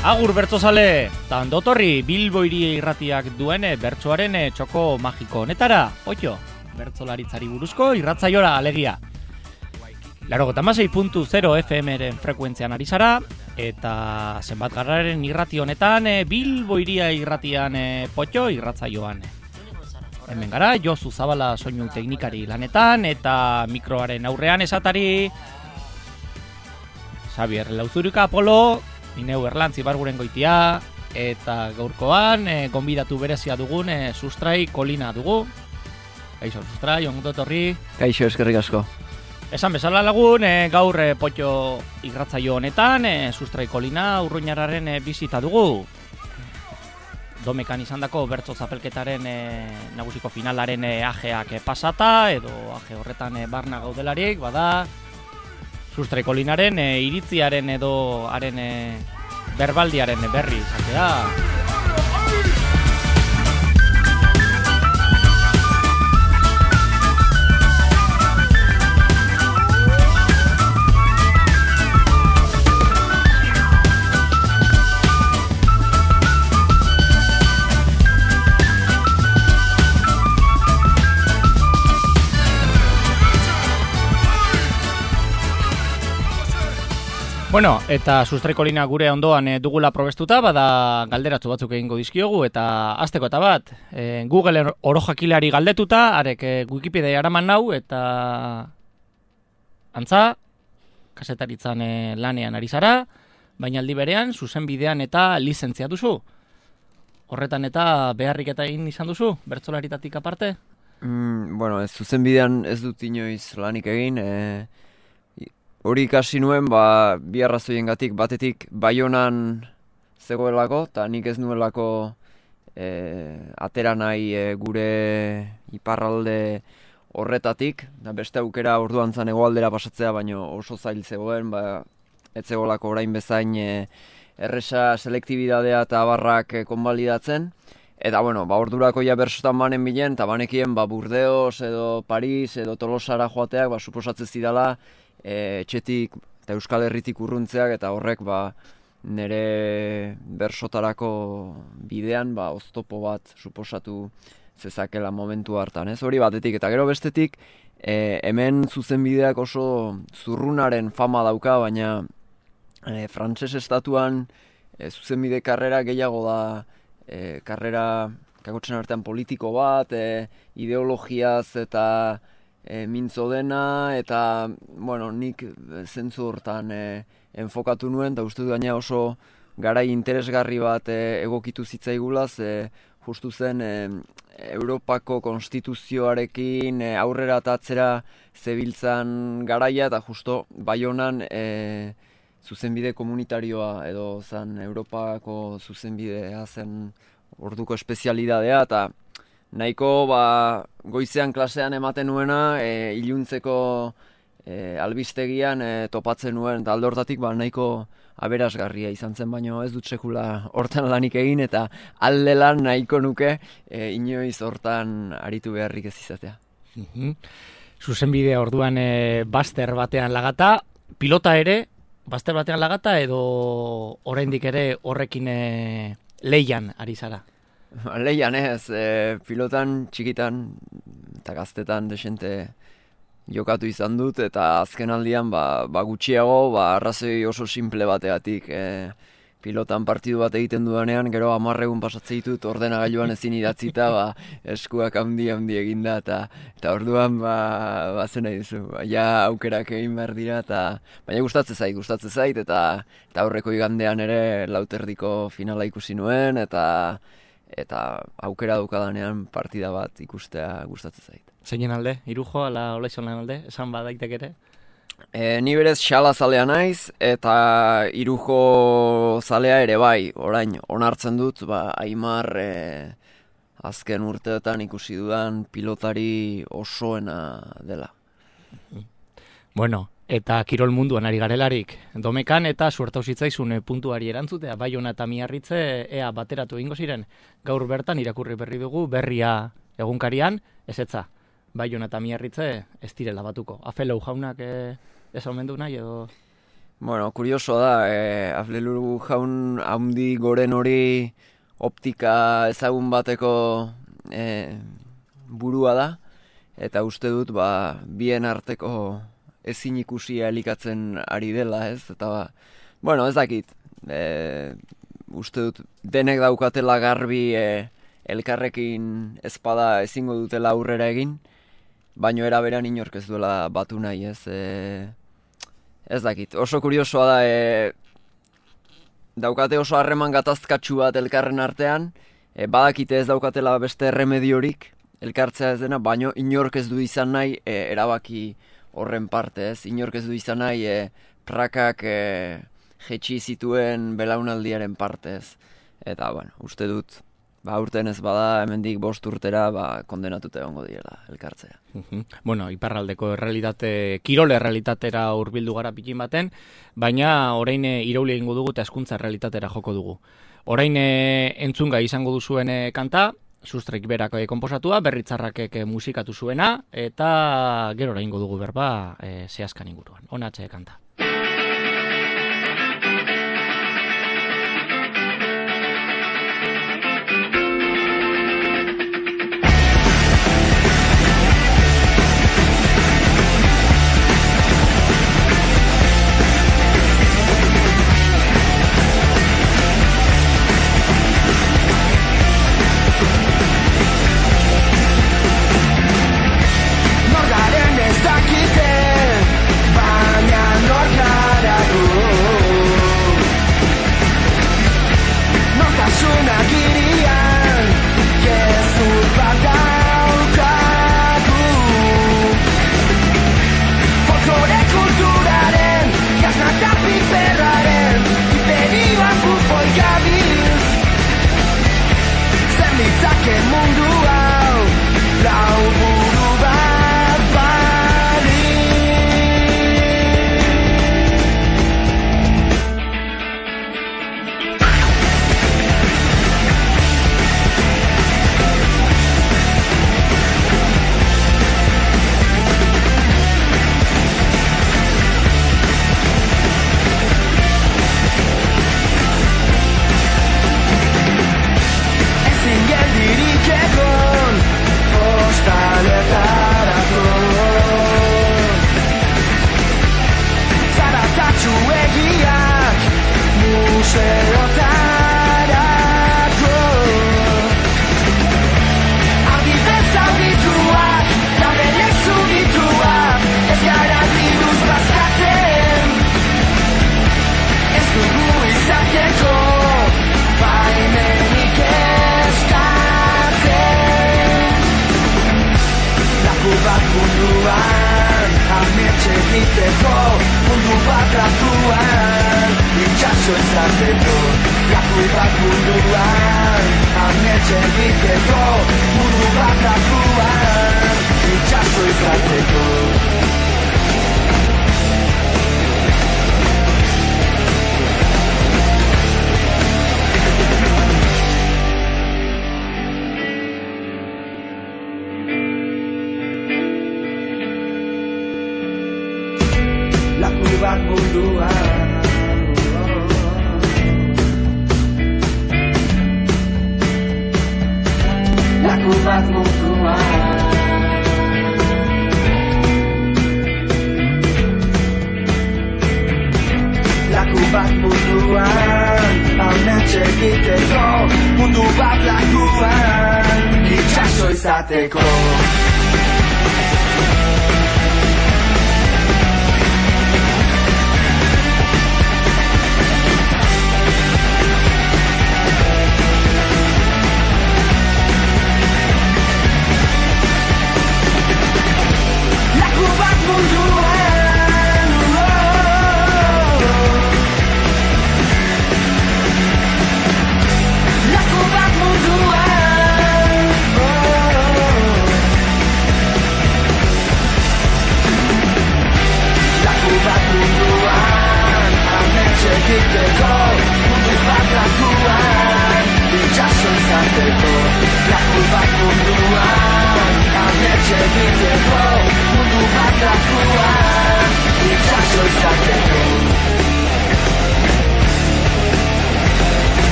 Agur bertsozale, tandotorri Bilbo Hiria Irratiak duen bertsoaren txoko magiko honetara, oio, bertsolaritzari buruzko irratzaiora alegia. 96.0 FM-ren frekuentzian ari zara, eta zenbatgarraren irrati honetan Bilbo Hiria Irratian potxo irratzaioan. Hemen gara, Josu Zabala soinu teknikari lanetan, eta mikroaren aurrean esatari Xabier Lauzurika Apolo, Ineu Erlantzi Barguren goitia, eta gaurkoan gonbidatu berezia dugun Sustrai Kolina dugu. Kaixo Sustrai, onguto etorri. Kaixo, eskerrik asko. Esan bezala lagun, gaur potxo irratzaio honetan, Sustrai Kolina urruñararen bizita dugu. Domekan izandako bertso zapelketaren nagusiko finalaren ajeak pasata, edo aje horretan barna gaudelarik, bada Sustrai Kolinaren iritziaren edo haren berbaldiaren berri izatea. Bueno, eta Sustrai Kolina gure ondoan dugula probestuta, bada galderatzu batzuk egingo dizkiogu, eta hasteko eta bat, Google orojakilari galdetuta, arek Wikipedia eraman nau, eta antza, kasetaritzan lanean ari zara, baina aldi berean, zuzenbidean eta lizentzia duzu. Horretan eta beharrik eta egin izan duzu, bertsolaritatik aparte? Bueno, zuzenbidean ez dut inoiz lanik egin, hori ikasi nuen, bi arrazoiengatik, batetik Baionan zegoelako, eta nik ez nuelako atera nahi gure iparralde horretatik, da beste aukera orduan zan hegoaldera pasatzea, baino oso zail zegoen, ez zegoelako orain bezain erresa selektibidadea eta abarrak konbalidatzen. Eta, bueno, ordurako ja bersotan banen bilen, eta banekien Burdeos edo Paris edo Tolosara joateak, suposatzen zidala, etxetik eta Euskal Herritik urruntzeak, eta horrek nire bersotarako bidean oztopo bat suposatu zezakela momentu hartan, ez? Hori batetik, eta gero bestetik hemen zuzenbideak oso zurrunaren fama dauka, baina frantses estatuan zuzenbide karrera gehiago da karrera kakotzen artean politiko bat, ideologiaz eta mintzo dena, eta nik zentzu hortan enfokatu nuen, eta uste du gaina oso garai interesgarri bat egokitu zitzaigula, justu zen Europako konstituzioarekin aurrera eta atzera zebiltzan garaia, eta justo Baionan zuzenbide komunitarioa edo zen Europako zuzenbidea zen orduko espezialidadea, eta nahiko goizean klasean ematen nuena, iluntzeko albistegian topatzen nuen, eta alde hortatik nahiko aberasgarria izan zen, baino ez dut sekula hortan lanik egin, eta alde lan nahiko nuke inoiz hortan aritu beharrik ez izatea. Zuzenbidea orduan baster batean lagata, pilota ere, baster batean lagata, edo oraindik ere horrekin leian ari zara? Leian ez, pilotan txikitan eta gaztetan desente jokatu izan dut, eta azken aldian gutxiago arrazoi oso simple bateatik. Pilotan partidu bat egiten dudanean, gero 10 egun pasatzen ditut ordenagailuan ezin idatzita, eskuak handi eginda, eta orduan zen nahi duzu, ja aukerak egin behar dira, baina gustatzen zait, eta aurreko igandean ere lauterdiko finala ikusi nuen, eta aukera daukadanean partida bat ikustea gustatzen zait. Zeinen alde? Irujo, ala Olaizolan alde? Esan badaitek ere? Ni berez xala zalea naiz, eta Irujo zalea ere bai, orain onartzen dut, Aimar azken urteetan ikusi dudan pilotari osoena dela. Bueno, eta kirol munduan ari garelarik, Domekan eta suertau zitzaizun puntuari erantzutea, Baiona eta Miarritze ea bateratu egingo ziren. Gaur bertan irakurri berri dugu, berria egunkarian, ezetza. Baiona eta Miarritze ez direla batuko. Afeleu jaunak ez omendu nahi edo? Bueno, kuriosoa da, Aflelu jaun haundi goren hori optika ezagun bateko burua da, eta uste dut bien arteko ezin ikusia elikatzen ari dela, ez? Eta bueno, ez dakit, uste dut denek daukatela garbi elkarrekin ezpada ezingo dutela aurrera egin, baino era beran inork ez duela batu nahi, ez? Ez dakit, oso kuriosoa da, daukate oso harreman gatazkatsu bat elkarren artean, badakite ez daukatela beste erremediorik elkartzea ez dena, baino inork ez du izan nahi erabaki horren parte, ez? Inork ez du izan nahi prakak jetxi zituen belaunaldiaren parte, ez? Eta, bueno, uste dut, urten ez bada, hemendik 5 urtera, kondenatuta egongo direla elkartzea. Bueno, iparraldeko kirol errealitatera hurbildu gara pikin baten, baina orain irauli egingo dugu eta hezkuntza errealitatera joko dugu. Orain entzungai izango duzuen kanta, Sustrek berak konposatua, Berritzarrakek musikatu zuena, eta gero egingo dugu berba zehazkan inguruan. Honatxe kanta. Mundu bat lakuan, itxaso izateko.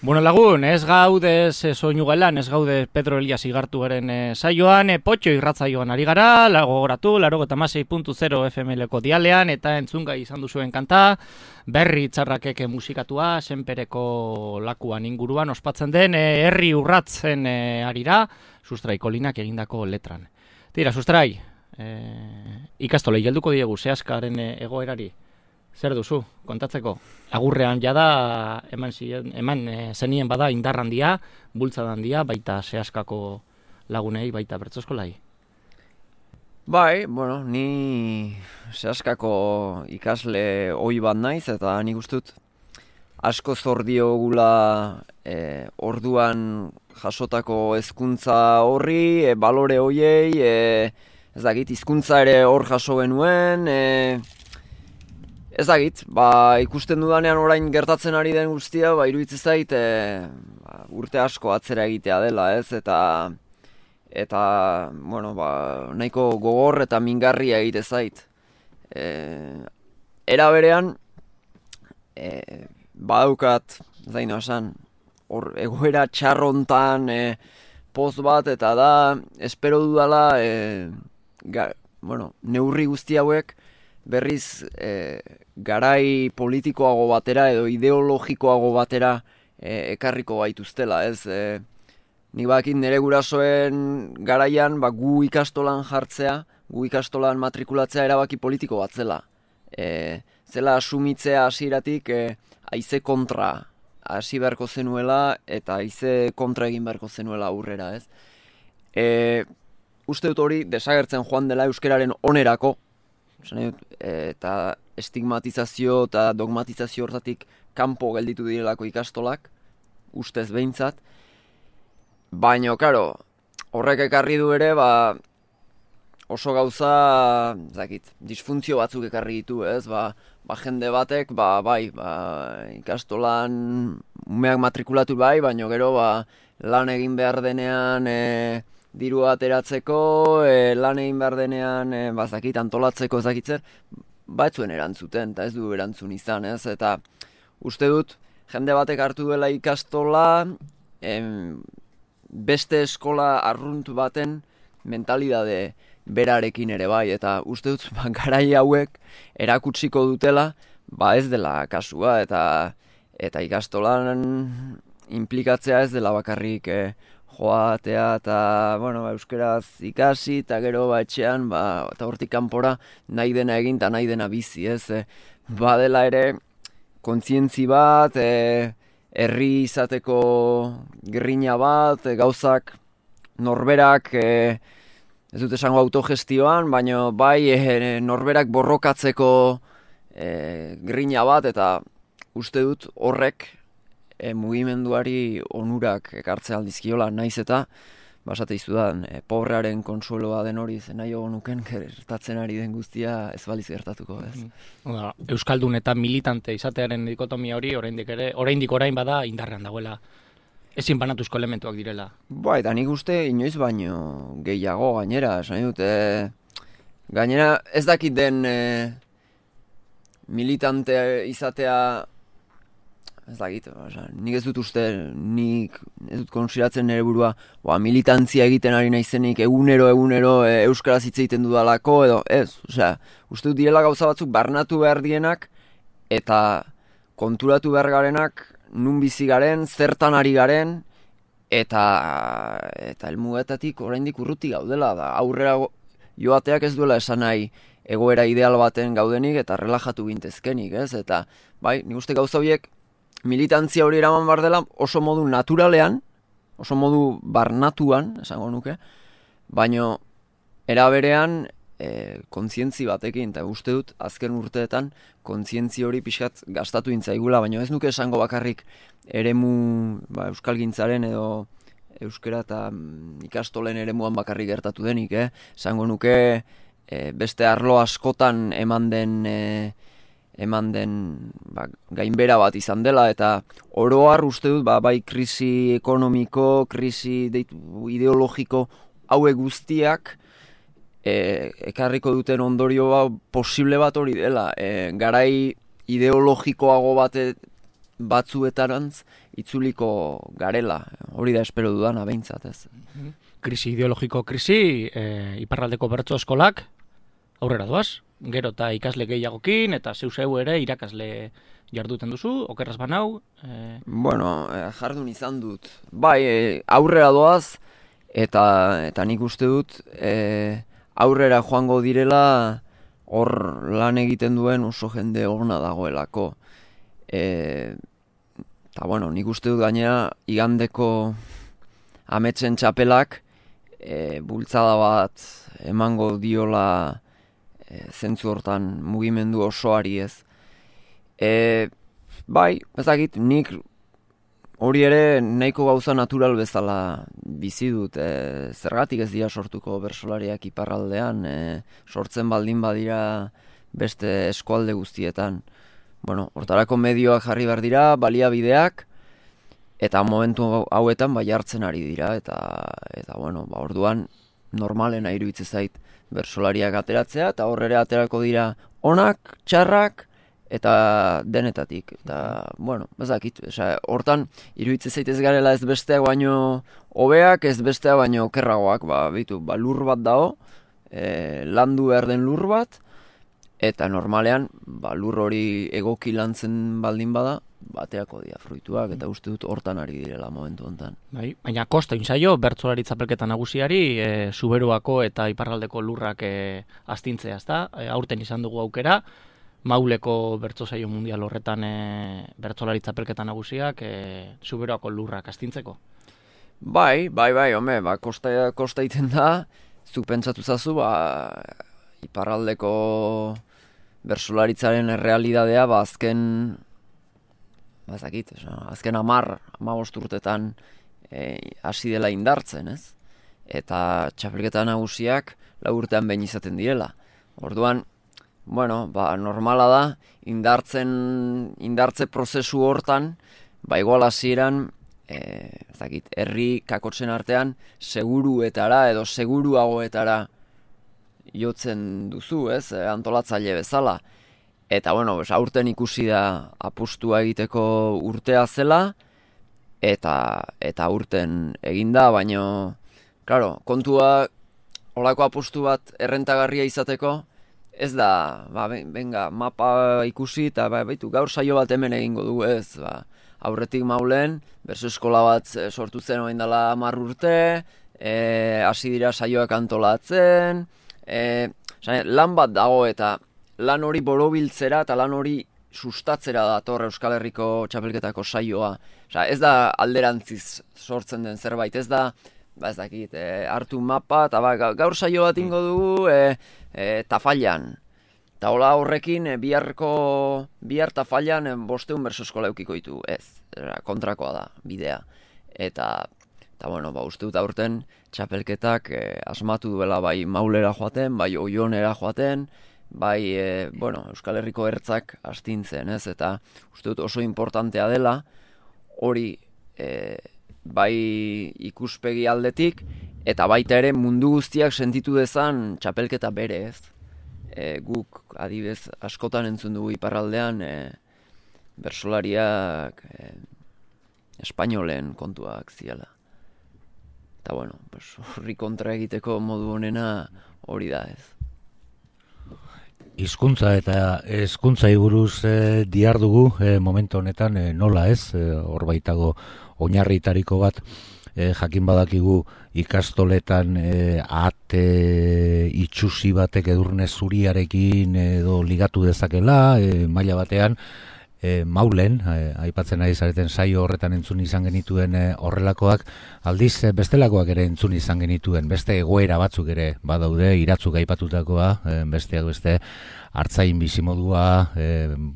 Bueno lagun, ez gaude soinu gelan, ez gaude Pedro Elias igartu garen saioan, potxo irratzaioan ari gara, gogoratu, 96.0 FM-leko dialean, eta entzungai izan duzuen kanta, berri txarrakeke musikatua, senpereko lakuan inguruan ospatzen den, herri urratzen arira, Sustrai Kolinak egindako letran. Tira, Sustrai, ikastolei helduko diegu, zehaskaren egoerari. Zer duzu, kontatzeko? Agurrean jada, eman zenien bada indar handia, bultza handia, baita zehaskako lagunei, baita bertsoskolai. Bai, bueno, ni zehaskako ikasle ohi bat naiz, eta nik ustut asko zor diogula orduan jasotako hezkuntza horri, balore hoiei, ez dakit, hizkuntza ere hor jaso genuen, ez dakit, ikusten dudanean orain gertatzen ari den guztia, iruditzen zait urte asko atzera egitea dela, ez? Eta bueno, nahiko gogor eta mingarria egite zait. Era berean, badaukat, zaino esan, hor egoera txarrontan poz bat, eta da, espero dudala, neurri guzti hauek, berriz garai politikoago batera edo ideologikoago batera ekarriko gaituztela, ez? Nik bakit nire gurasoen garaian gu ikastolan jartzea, gu ikastolan matrikulatzea erabaki politiko bat zela. Zela asumitzea hasieratik haize kontra hasi beharko zenuela eta haize kontra egin beharko zenuela aurrera, ez? Uste dut hori desagertzen joan dela euskararen onerako, eta estigmatizazio eta dogmatizazio hortatik kanpo gelditu direlako ikastolak, ustez behintzat. Baina, karo, horrek ekarri du ere, oso gauza, disfuntzio batzuk ekarri ditu, ez? Jende batek, ikastolan umeak matrikulatu baina gero, lan egin behar denean, diru ateratzeko, lan egin behar denean, antolatzeko ezakitzer, ez zuen erantzuten, eta ez du erantzun izan, ez? Eta uste dut, jende batek hartu duela ikastola, beste eskola arrunt baten mentalidade berarekin ere bai, eta uste dut, garai hauek erakutsiko dutela, ez dela kasua, eta ikastolan implikatzea ez dela bakarrik joatea eta, euskeraz ikasi, eta gero etxean, eta hortik kanpora nahi dena egin eta nahi dena bizi, ez? Badela ere, kontzientzi bat, herri izateko grina bat, gauzak norberak, ez dut esango autogestioan, baina norberak borrokatzeko grina bat, eta uste dut horrek, mugimenduari onurak ekartzea aldizkiola, naiz eta basate izudan, pobrearen konsueloa den hori zen nahi nuken gertatzen ari den guztia ez baliz gertatuko, ez? Euskaldun eta militante izatearen dikotomia hori oraindik orain bada indarrean dagoela, ezin banatuzko elementuak direla. Eta nik uste inoiz baino gehiago gainera, esan dut, gainera ez dakit den militante izatea, ez dakit, nik ez dut uste, nik ez dut konsideratzen nire burua, militantzia egiten ari naizenik egunero euskaraz hitz egiten dudalako, edo ez, uste dut direla gauza batzuk barnatu behar dienak, eta konturatu behar garenak, nun bizi garen, zertan ari garen, eta helmugetatik oraindik urruti gaudela, aurrera joateak ez duela esan nahi egoera ideal baten gaudenik, eta relajatu gintezkenik, ez, eta nik uste gauza horiek, militantzia hori eraman behar dela oso modu naturalean, oso modu barnatuan, esango nuke, baino era berean kontzientzi batekin, eta uste dut azken urteetan kontzientzi hori pixkat gastatu intzaigula, baino ez nuke esango bakarrik eremu euskalgintzaren edo euskera eta ikastolen eremuan bakarrik gertatu denik, esango nuke beste arlo askotan eman den gainbera bat izan dela, eta oroar uste dut bai krisi ekonomiko, krisi ideologiko hauek guztiak ekarriko duten ondorio posible bat hori dela. Garai ideologikoago batzuetarantz itzuliko garela. Hori da espero dudana behintzat, ez. Krisi ideologiko krisi, iparraldeko bertso eskolak aurrera doaz, gero eta ikasle gehiagokin, eta zeu ere irakasle jarduten duzu, okerraz banau? Bueno, jardun izan dut. Bai, aurrera doaz, eta nik uste dut, aurrera joango direla, hor lan egiten duen oso jende ona dagoelako. Eta bueno, nik uste dut gainera igandeko ametsen txapelak bultzada bat emango diola zentzu hortan mugimendu osoari ez. Bai, ezagit, nik hori ere nahiko gauza natural bezala bizi dut. Zergatik ez dira sortuko bertsolariak iparraldean, sortzen baldin badira beste eskualde guztietan. Bueno, hortarako medioak jarri behar dira, baliabideak, eta momentu hauetan bai hartzen ari dira, eta bueno, orduan normalena iruditzen zait bertsolariak ateratzea, eta horrere aterako dira onak, txarrak, eta denetatik. Eta, bueno, bezakit, hortan iruditzen zait ez garela ez besteak baino hobeak, ez besteak baino okerragoak, lur bat dago, landu behar den lur bat, eta normalean, lur hori egoki lantzen baldin bada, baterako dira fruituak, eta uste dut hortan ari direla momentu honetan. Bai, baina kosta inzaio, bertsolari txapelketa nagusiari, Zuberoako eta iparraldeko lurrak astintzea, ezta? Aurten izan dugu aukera, Mauleko bertso saio mundial horretan bertsolari txapelketa nagusiak Zuberoako lurrak astintzeko. Bai, home, kosta iten da, zuk pentsatu zazu, iparraldeko bertsolaritzaren errealidadea, azken 15 urtetan hasi dela indartzen, ez? Eta txapelketa nagusiak 4 urtean behin izaten direla. Orduan, bueno, normala da, indartze prozesu hortan, igual hasieran, herri kakotzen artean, seguruetara edo seguruagoetara jotzen duzu, ez? Antolatzaile bezala. Eta, bueno, aurten ikusi da apustua egiteko urtea zela, eta aurten eginda, baino, claro, kontua holako apustu bat errentagarria izateko, ez da, venga, mapa ikusi, eta gaur saio bat hemen egingo dugu, ez, aurretik Maulen, bertso eskola bat sortu zen orain dela 10 urte, hasi dira saioak antolatzen, lan bat dago eta lan hori borobiltzera eta lan hori sustatzera dator Euskal Herriko txapelketako saioa. Ez da alderantziz sortzen den zerbait, ez da, ez dakit, hartu mapa, eta gaur saio bat ingo dugu Tafallan. Eta hola horrekin bihar Tafallan 500 bertso eskola eukiko ditu, ez, kontrakoa da, bidea. Eta bueno, uste dut aurten txapelketak asmatu duela bai Maulera joaten, bai Oionera joaten, bai, Euskal Herriko ertzak astintzen, ez? Eta uste dut oso importantea dela, hori bai ikuspegi aldetik, eta baita ere mundu guztiak sentitu dezan txapelketa bere, ez? Guk, adibez, askotan entzun dugu iparraldean, bertsolariak espainolen kontuak ziala. Eta, bueno, horri kontra egiteko modu honena hori da, ez? Hizkuntza eta hezkuntzai buruz dihardugu momentu honetan nola ez, hor baitago oinarritariko bat, jakin badakigu ikastoletan ate itxusi batek edurne zuriarekin edo ligatu dezakela, maila batean, Maulen, aipatzen ari zareten saio horretan entzun izan genituen horrelakoak, aldiz bestelakoak ere entzun izan genituen, beste egoera batzuk ere badaude, iratzuk aipatutakoa, besteak beste hartzain bizimodua,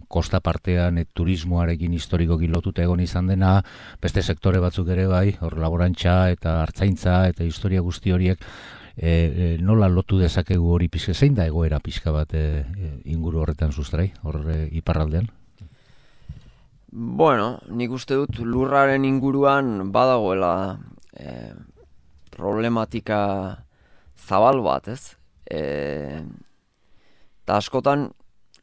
kosta partean turismoarekin historikoki lotuta egon izan dena, beste sektore batzuk ere bai, hor laborantza eta hartzaintza eta historia guzti horiek, nola lotu dezakegu hori pixka, zein da egoera pixka bat inguru horretan sustrai, hor iparraldean? Bueno, nik uste dut lurraren inguruan badagoela problematika zabal bat, ez? Eta askotan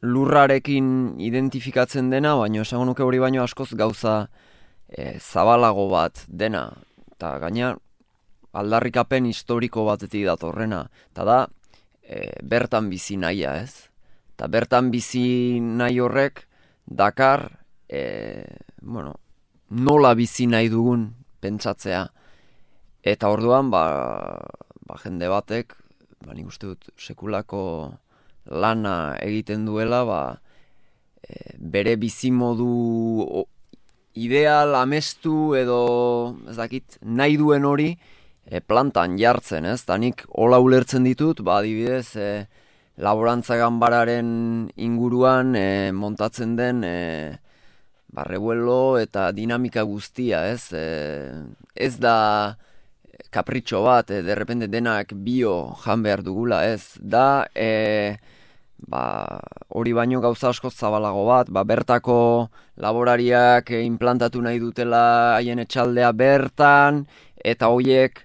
lurrarekin identifikatzen dena, baina esango nuke hori baino askoz gauza zabalago bat dena. Eta gaina aldarrikapen historiko batetik datorrena. Eta da, bertan bizi nahia, ez? Eta bertan bizi nahi horrek dakar, nola bizi nahi dugun pentsatzea. Eta orduan, jende batek, nik uste dut, sekulako lana egiten duela, bere bizimodu ideal amestu edo, ez dakit, nahi duen hori plantan jartzen, ez? Ta nik hola ulertzen ditut, adibidez, laborantza ganbararen inguruan montatzen den revuelo eta dinamika guztia, ez? Ez da kapritxo bat, derrepende denak bio jan behar dugula, ez? Da, hori baino gauza asko zabalago bat, bertako laborariak implantatu nahi dutela haien etxaldea bertan, eta horiek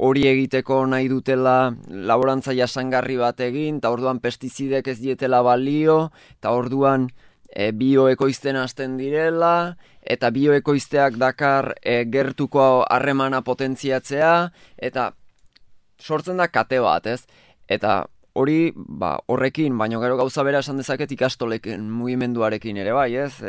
hori egiteko nahi dutela laborantza jasangarri bat egin, eta orduan pestizidek ez dietela balio, eta orduan bioekoizten hasten direla, eta bioekoizteak dakar gertuko harremana potentziatzea, eta sortzen da kate bat, ez? Eta hori, horrekin, baino gero gauza bera esan dezaket ikastoleken mugimenduarekin ere bai, ez?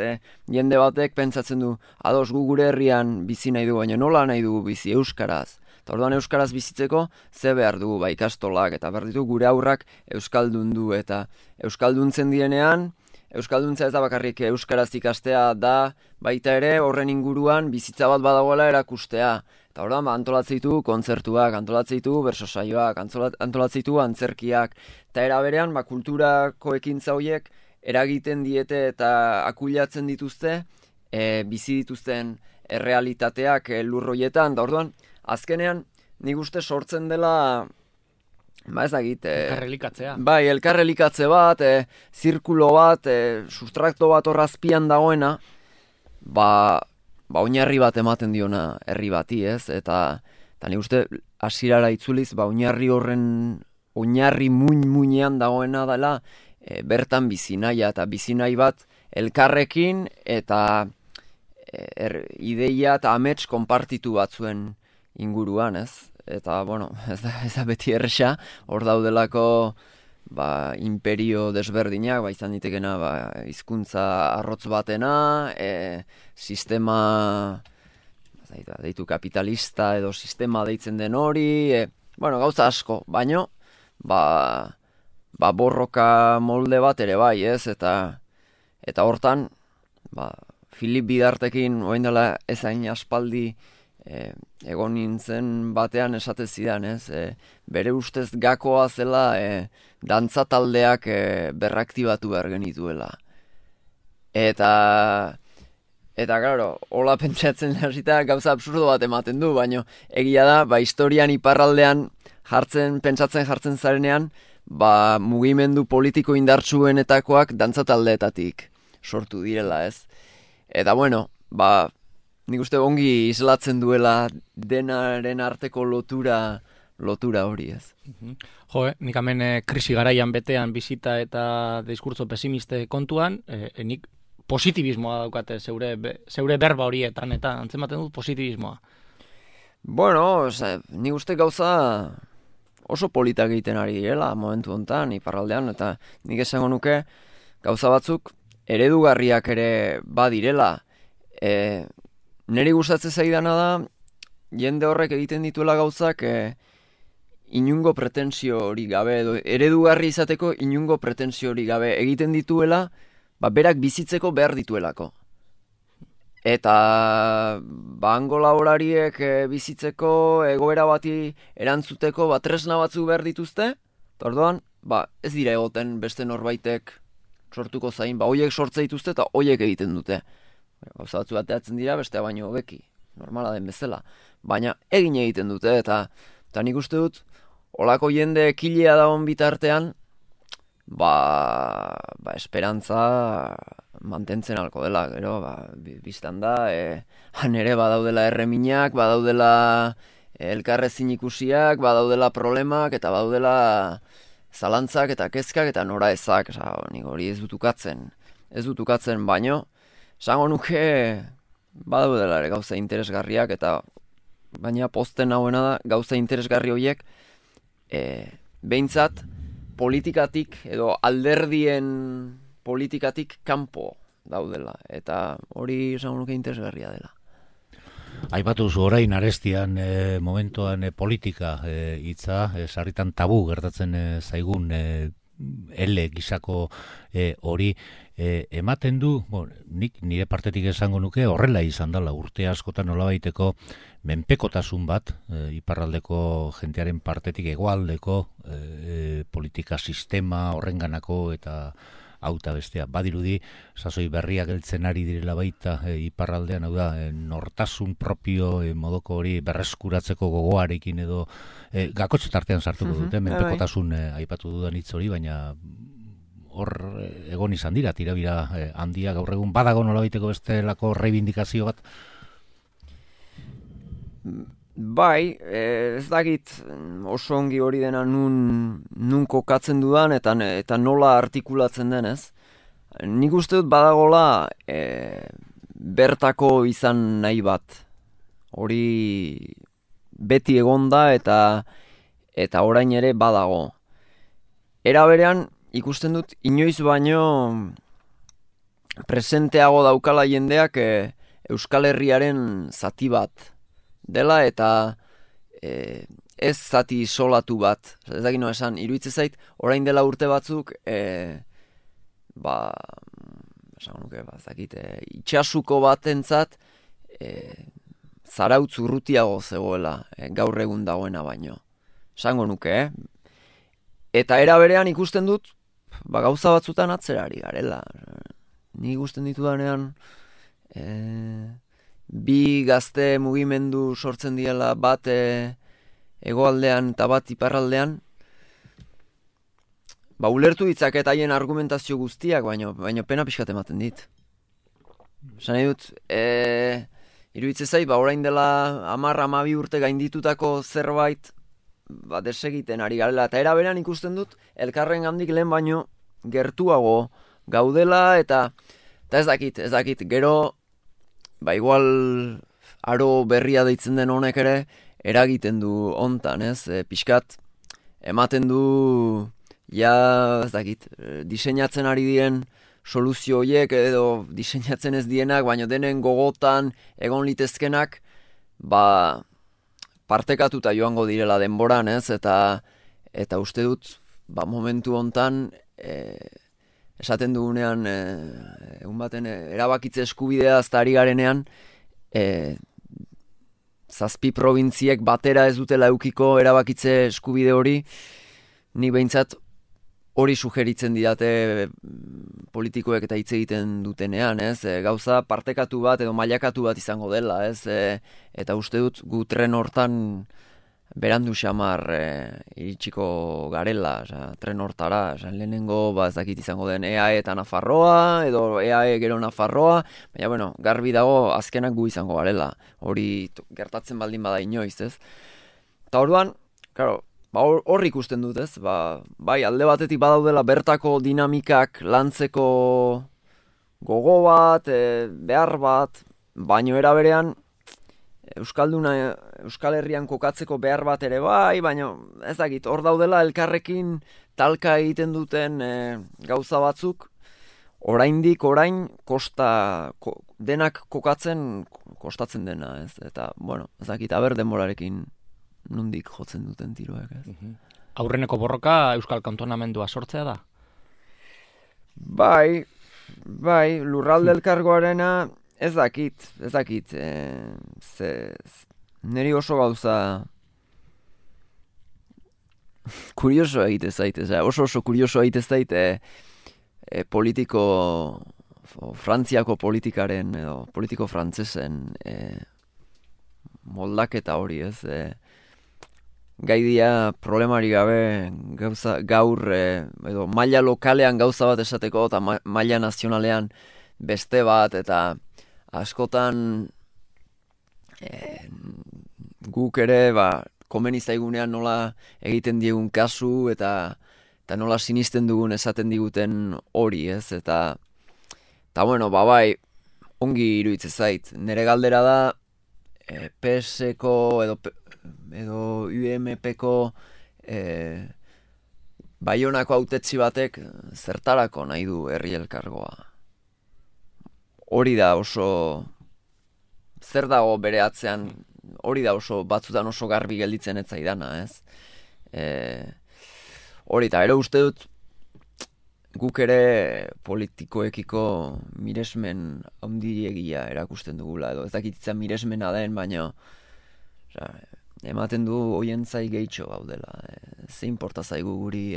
Jende batek pentsatzen du, ados gu gure herrian bizi nahi du, baina nola nahi dugu bizi euskaraz? Eta orduan euskaraz bizitzeko ze behar dugu ikastolak, eta behar ditu gure aurrak euskaldundu, eta euskalduntzen direnean, euskalduntza ez da bakarrik euskaraz ikastea da, baita ere horren inguruan bizitza bat badagoela erakustea. Eta orduan, antolatzen ditu kontzertuak, antolatzen ditu bersosaioak, antolatzen ditu antzerkiak. Eta era berean, kulturako ekintza horiek eragiten diete eta akuilatzen dituzte, bizi dituzten errealitateak lurroietan. Da orduan, azkenean, nik uste sortzen dela, ez dakit. Elkarrelikatzea. Bai, elkarrelikatze bat, zirkulo bat, sustrakto bat horrazpian dagoena, oinarri bat ematen diona herri bati, ez? Eta nik uste hasierara itzuliz, oinarri horren, oinarri muinean dagoena dela, bertan bizinaia, eta bizinahi bat elkarrekin, eta ideia eta amets konpartitu batzuen inguruan, ez? Eta, ez da beti erresa, hor daudelako imperio desberdinak, izan ditekena hizkuntza arrotz batena, sistema deitu kapitalista edo sistema deitzen den hori, gauza asko, baino, borroka molde bat ere bai, ez? Eta hortan, Filip Bidartekin, orain dela ezain aspaldi, egon nintzen batean esate zidan, ez? Bere ustez gakoa zela dantza taldeak berraktibatu behar genituela. Eta claro, hola pentsatzen hasita gauza absurdo bat ematen du, baina egia da, historian iparraldean pentsatzen jartzen zarenean, mugimendu politiko indartsuenetakoak dantza taldeetatik sortu direla, ez? Eta nik uste ongi islatzen duela denaren arteko lotura hori, ez. Nik hemen krisi garaian betean bizita eta diskurtso pesimiste kontuan, nik positibismoa daukate zeure berba horietan, eta antzematen dut positibismoa. Nik uste gauza oso politak egiten ari direla momentu honetan, iparraldean, eta nik esango nuke gauza batzuk eredugarriak ere badirela. Neri gustatzen zaidana da, jende horrek egiten dituela gauzak inungo pretensio hori gabe, edo eredugarri izateko inungo pretensio hori gabe egiten dituela, berak bizitzeko behar dituelako. Eta hango laborariek bizitzeko egoera bati erantzuteko tresna batzu behar dituzte, eta orduan, ez dira egoten beste norbaitek sortuko zain, hoiek sortze dituzte eta hoiek egiten dute. Gauza batzu bateatzen dira, bestea baino hobeki, normala den bezala. Baina egin egiten dute, eta nik uste dut, holako jende ekilea dagoen bitartean, esperantza mantentzen alko dela, gero, biztan da, han ere badaudela erreminak, badaudela elkarrezin ikusiak, badaudela problemak, eta badaudela zalantzak eta kezkak eta nora ezak, nik hori ez dut ukatzen baino, esango nuke badaudela ere gauza interesgarriak, eta baina posten hauena da gauza interesgarri horiek behintzat politikatik edo alderdien politikatik kanpo daudela, eta hori esango nuke interesgarria dela. Aipatu zu orain arestian momentuan politika hitza, sarritan tabu gertatzen zaigun ele gisako hori ematen du, nik nire partetik esango nuke horrela izan dela urte askotan nolabaiteko menpekotasun bat iparraldeko jentearen partetik hegoaldeko politika sistema horrenganako eta hauta bestea. Badirudi, sasoi berriak heltzen ari direla baita iparraldean, hau da, nortasun propio modoko hori berreskuratzeko gogoarekin edo gakotxe tartean sartuko dute, menpekotasun aipatu dudan hitz hori, baina hor egon izan dira, tirabira handia gaur egun badago nolabaiteko bestelako reivindikazio bat? Bai, ez dakit oso ongi hori dena nun kokatzen dudan eta nola artikulatzen denez. Nik uste dut badagola bertako izan nahi bat. Hori beti egonda eta orain ere badago. Era berean ikusten dut inoiz baino presenteago daukala jendeak Euskal Herriaren zati bat dela eta ez zati isolatu bat. Ez dakit noa esan, iruditzen zait, orain dela urte batzuk itxasuko batentzat zarautz urrutiago zegoela gaur egun dagoena baino. Esango nuke, Eta era berean ikusten dut, gauza batzutan atzerari garela. Ni ikusten ditudanean bi gazte mugimendu sortzen diela bat hegoaldean eta bat iparraldean, ulertu ditzaket haien argumentazio guztiak, baino pena pixkat ematen dit. Esan nahi dut, iruditzen zait, orain dela 10-12 urte gainditutako zerbait desegiten ari garela, eta era berean ikusten dut, elkarren gandik lehen baino gertuago gaudela, eta ez dakit, gero, igual aro berria deitzen den honek ere, eragiten du hontan, ez? Pixkat, ematen du, ez dakit, diseinatzen ari diren soluzio horiek edo diseinatzen ez dienak, baina denen gogotan egon litezkenak, partekatuta joango direla denboran, ez? Eta uste dut, momentu hontan, esaten dugunean, egun baten, erabakitze eskubidea azta ari garenean, 7 probintziek batera ez dutela eukiko erabakitze eskubide hori, ni behintzat hori sugeritzen didate politikoek eta hitz egiten dutenean, ez? Gauza partekatu bat edo mailakatu bat izango dela, ez? Eta uste dut gu tren hortan berandu xamar iritsiko garela, tren hortara, lehenengo ez dakit izango den EAE eta Nafarroa, edo EAE gero Nafarroa, baina, garbi dago azkenak gu izango garela, hori gertatzen baldin bada inoiz, ez? Eta orduan, claro, hor ikusten dut, ez? Alde batetik badaudela bertako dinamikak lantzeko gogo bat, behar bat, baino era berean Euskal Herrian kokatzeko behar bat ere baina ez dakit, hor daudela elkarrekin talka egiten duten gauza batzuk, orain denak kostatzen dena, ez? Eta, ez dakit, denborarekin nondik jotzen duten tiroak, ez? Aurreneko borroka Euskal Kantonamendua sortzea da? Bai, lurralde elkargoarena ez dakit, niri oso gauza kurioso egite zait, oso kurioso egite zait Frantziako politikaren, edo politiko frantsesen moldaketa hori, ez? Gaidia problemari gabe gaur edo maila lokalean gauza bat esateko eta maila nazionalean beste bat, eta askotan guk ere komeni zaigunean nola egiten diegun kasu eta eta nola sinisten dugun esaten diguten hori, ez? Eta bueno, bai, ongi iruditzen zait. Nere galdera da, PS-ko edo UMP-ko Baionako hautetsi batek zertarako nahi du herri elkargoa. Hori da oso, zer dago bere atzean, hori da oso, batzutan oso garbi gelditzen ez zaidana, ez? Hori eta ero uste dut, guk ere politikoekiko miresmen handiegia erakusten dugula, edo ez dakitzen miresmena den, baina ematen du hoien zai gehitxo gaudela. Ze importa zaigu guri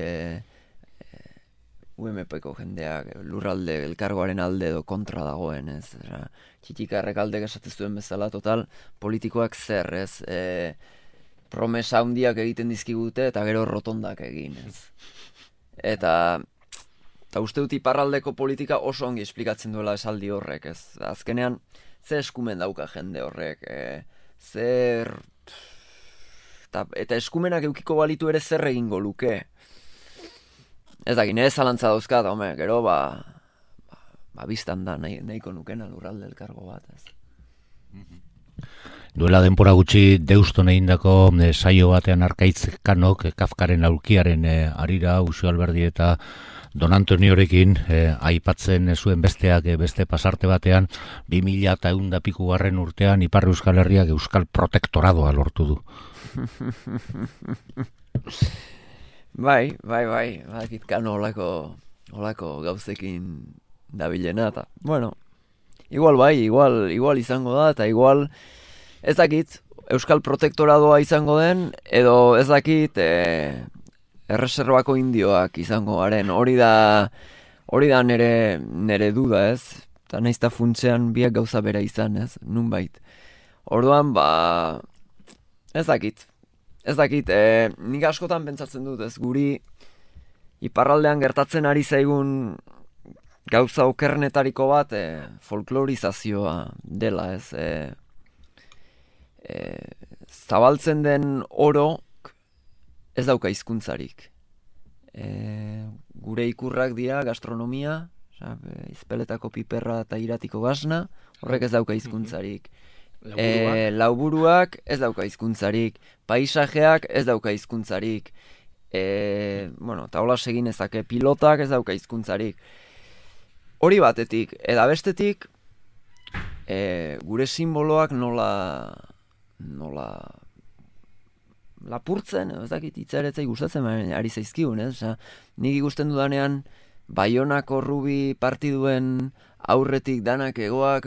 UMP-ko jendeak lurralde elkargoaren alde edo kontra dagoen, ez? Txikikarrek aldek esatez duen bezala, total, politikoak zer, ez? Promesa handiak egiten dizkigute eta gero rotondak egin, ez? Eta uste dut iparraldeko politika oso ongi esplikatzen duela esaldi horrek, ez? Azkenean, ze eskumen dauka jende horrek, eta eskumenak eukiko balitu ere zer egingo luke. Ez dakit, nire zalantza dauzkat, gero biztan da nahiko nukena lurralde elkargo bat, ez. Duela denpora gutxi Deuston egindako saio batean Arkaitz Kanok, Kafkaren aulkiaren arira, Uxo Alberdi eta Don Antoniorekin aipatzen zuen besteak beste pasarte batean 2000 piku garren urtean Ipar Euskal Herriak Euskal Protektoradoa lortu du. Bai, badakit Kano olako gauzekin dabilena, eta, bueno, igual izango da, eta igual, ez dakit, Euskal Protektoradoa izango den, edo ez dakit, erreserbako indioak izango garen, hori da nere duda, ez? Eta naizta funtzean biak gauza bera izan, ez? Nunbait. Orduan, ez dakit, nik askotan pentsatzen dut, ez? Guri iparraldean gertatzen ari zaigun gauza okernetariko bat folklorizazioa dela, ez? Zabaltzen den oro ez dauka hizkuntzarik. Gure ikurrak dira gastronomia, izpeletako piperra eta iratiko gasna, horrek ez dauka hizkuntzarik. Lauburuak ez dauka hizkuntzarik, paisajeak ez dauka hizkuntzarik, eta hola segin ezake, pilotak ez dauka hizkuntzarik. Hori batetik, eta bestetik, gure simboloak nola lapurtzen, ez dakit itzaretzai gustatzen ari zaizkigun, ez? Nik ikusten dudanean Baionako Rubi partiduen aurretik danak egoak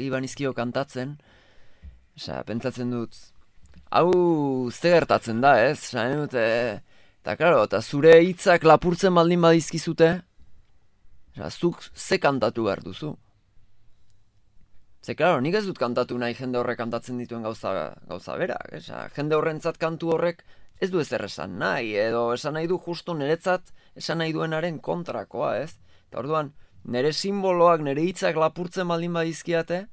iban izkio kantatzen, pentsatzen dut, hau ze gertatzen da, ez? Eta klaro, eta zure hitzak lapurtzen baldin badizkizute, zuk ze kantatu behar duzu. Ze, klaro, nik ez dut kantatu nahi jende horrek kantatzen dituen gauza berak. Jende horrentzat kantu horrek ez du ezer esan nahi, edo esan nahi du justo niretzat esan nahi duenaren kontrakoa, ez? Eta orduan, nire simboloak, nire hitzak lapurtzen baldin badizkiate,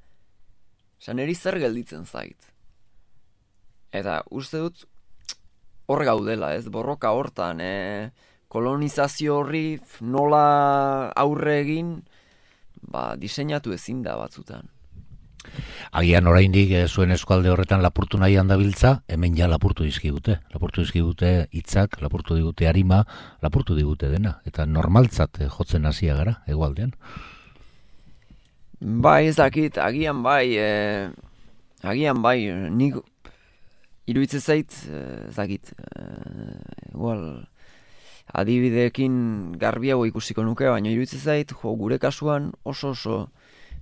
niri zer gelditzen zait. Eta uste dut hor gaudela, ez? Borroka hortan, kolonizazio horri nola aurre egin, diseinatu ezin da batzutan. Agian oraindik zuen eskualde horretan lapurtu nahi handabiltza, hemen ja lapurtu dizkigute hitzak, lapurtu digute arima, lapurtu digute dena, eta normaltzat jotzen hasia gara, hegoaldean. Bai, ez dakit, agian bai, nik iruditzen zait, ez dakit, igual, adibideekin garbiago ikusiko nuke, baina iruditzen zait, gure kasuan oso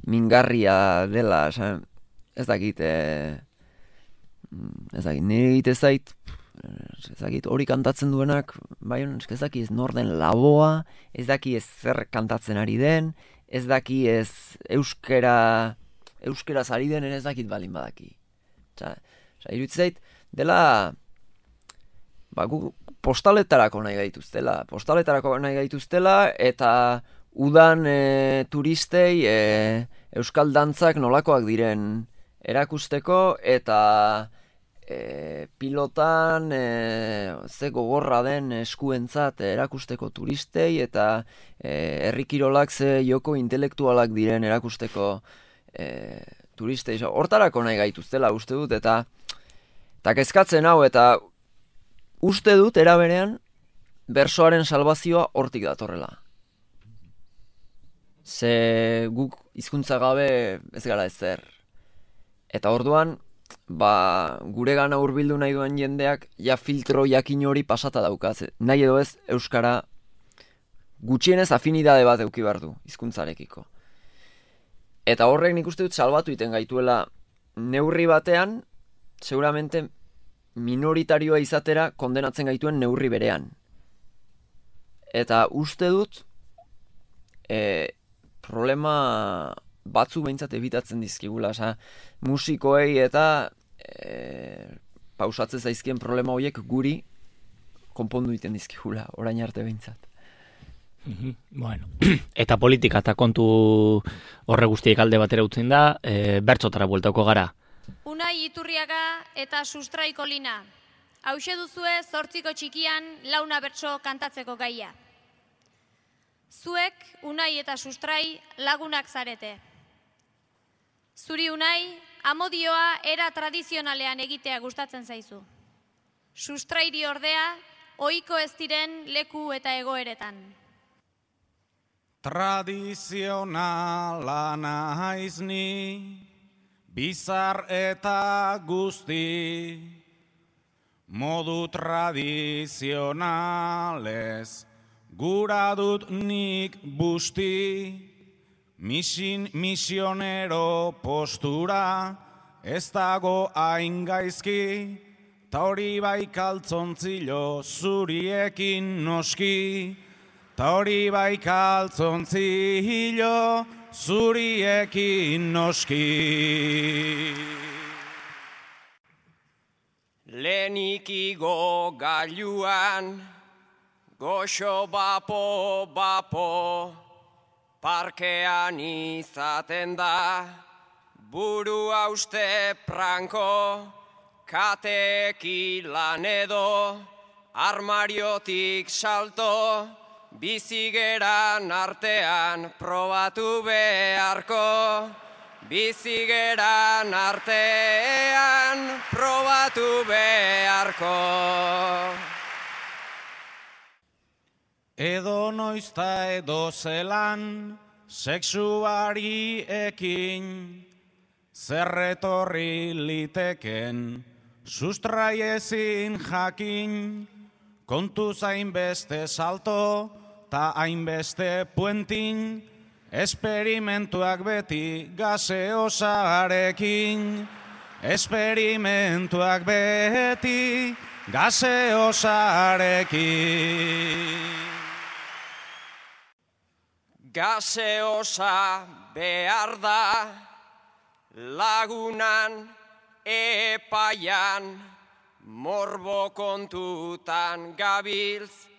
mingarria dela, ez dakit, nire egite zait, ez dakit, hori kantatzen duenak, bai, ez dakit ez norden laboa, ez dakit ez zer kantatzen ari den, ez dakit ez euskeraz ari den, ez dakit balin badaki. Iruditzen zait, dela, postaletarako nahi gaituztela, eta udan turistei euskal dantzak nolakoak diren erakusteko, eta pilotan ze gogorra den eskuentzat erakusteko turistei eta herri kirolak ze joko intelektualak diren erakusteko turistei. Hortarako nahi gaituztela uste dut eta kezkatzen hau eta uste dut eraberean bersoaren salbazioa hortik datorrela. Ze guk hizkuntza gabe ez gara ezer. Eta orduan, gure gana hurbildu nahi duen jendeak ja filtro jakin hori pasata daukaz. Nahi edo ez euskara gutxienez afinidade bat eduki behar du hizkuntzarekiko. Eta horrek nik uste dut salbatu iten gaituela neurri batean, seguramente minoritarioa izatera kondenatzen gaituen neurri berean. Eta uste dut problema batzu behintzat ebitatzen dizkigula, musikoei eta pausatzen zaizkien problema horiek guri konpondu egiten dizkigula, orain arte behintzat. Bueno, eta politika eta kontu horre guztiek alde batera utzen da, bertzotara bueltako gara. Unai Iturriaga eta Sustrai Kolina. Hauxe duzue 8ko txikian launa bertso kantatzeko gaia. Zuek, Unai eta Sustrai, lagunak zarete. Zuri Unai, amodioa era tradizionalean egitea gustatzen zaizu. Sustrairi ordea, ohiko ez diren leku eta egoeretan. Tradizionala naiz ni, bizar eta guzti, modu tradizionalez, gura dut nik busti, misionero postura, ez dago hain gaizki, ta hori bai kaltzontzilo zuriekin noski, ta hori bai kaltzontzilo zuriekin noski. Lehenik igo gailuan, goxo bapo, parkean izaten da, buru hauste pranko, katekilan edo, armariotik salto, bizigeran artean probatu beharko, bizigeran artean probatu beharko. Edo noizta edo zelan, sexuari ekin, zerretorri liteken, sustrai ezin jakin, kontuz hainbeste salto, ta hainbeste puentin, esperimentuak beti gaseosarekin, esperimentuak beti gaseosarekin. Gaseosa behar da, lagunan epaian, morbo kontutan gabiltz,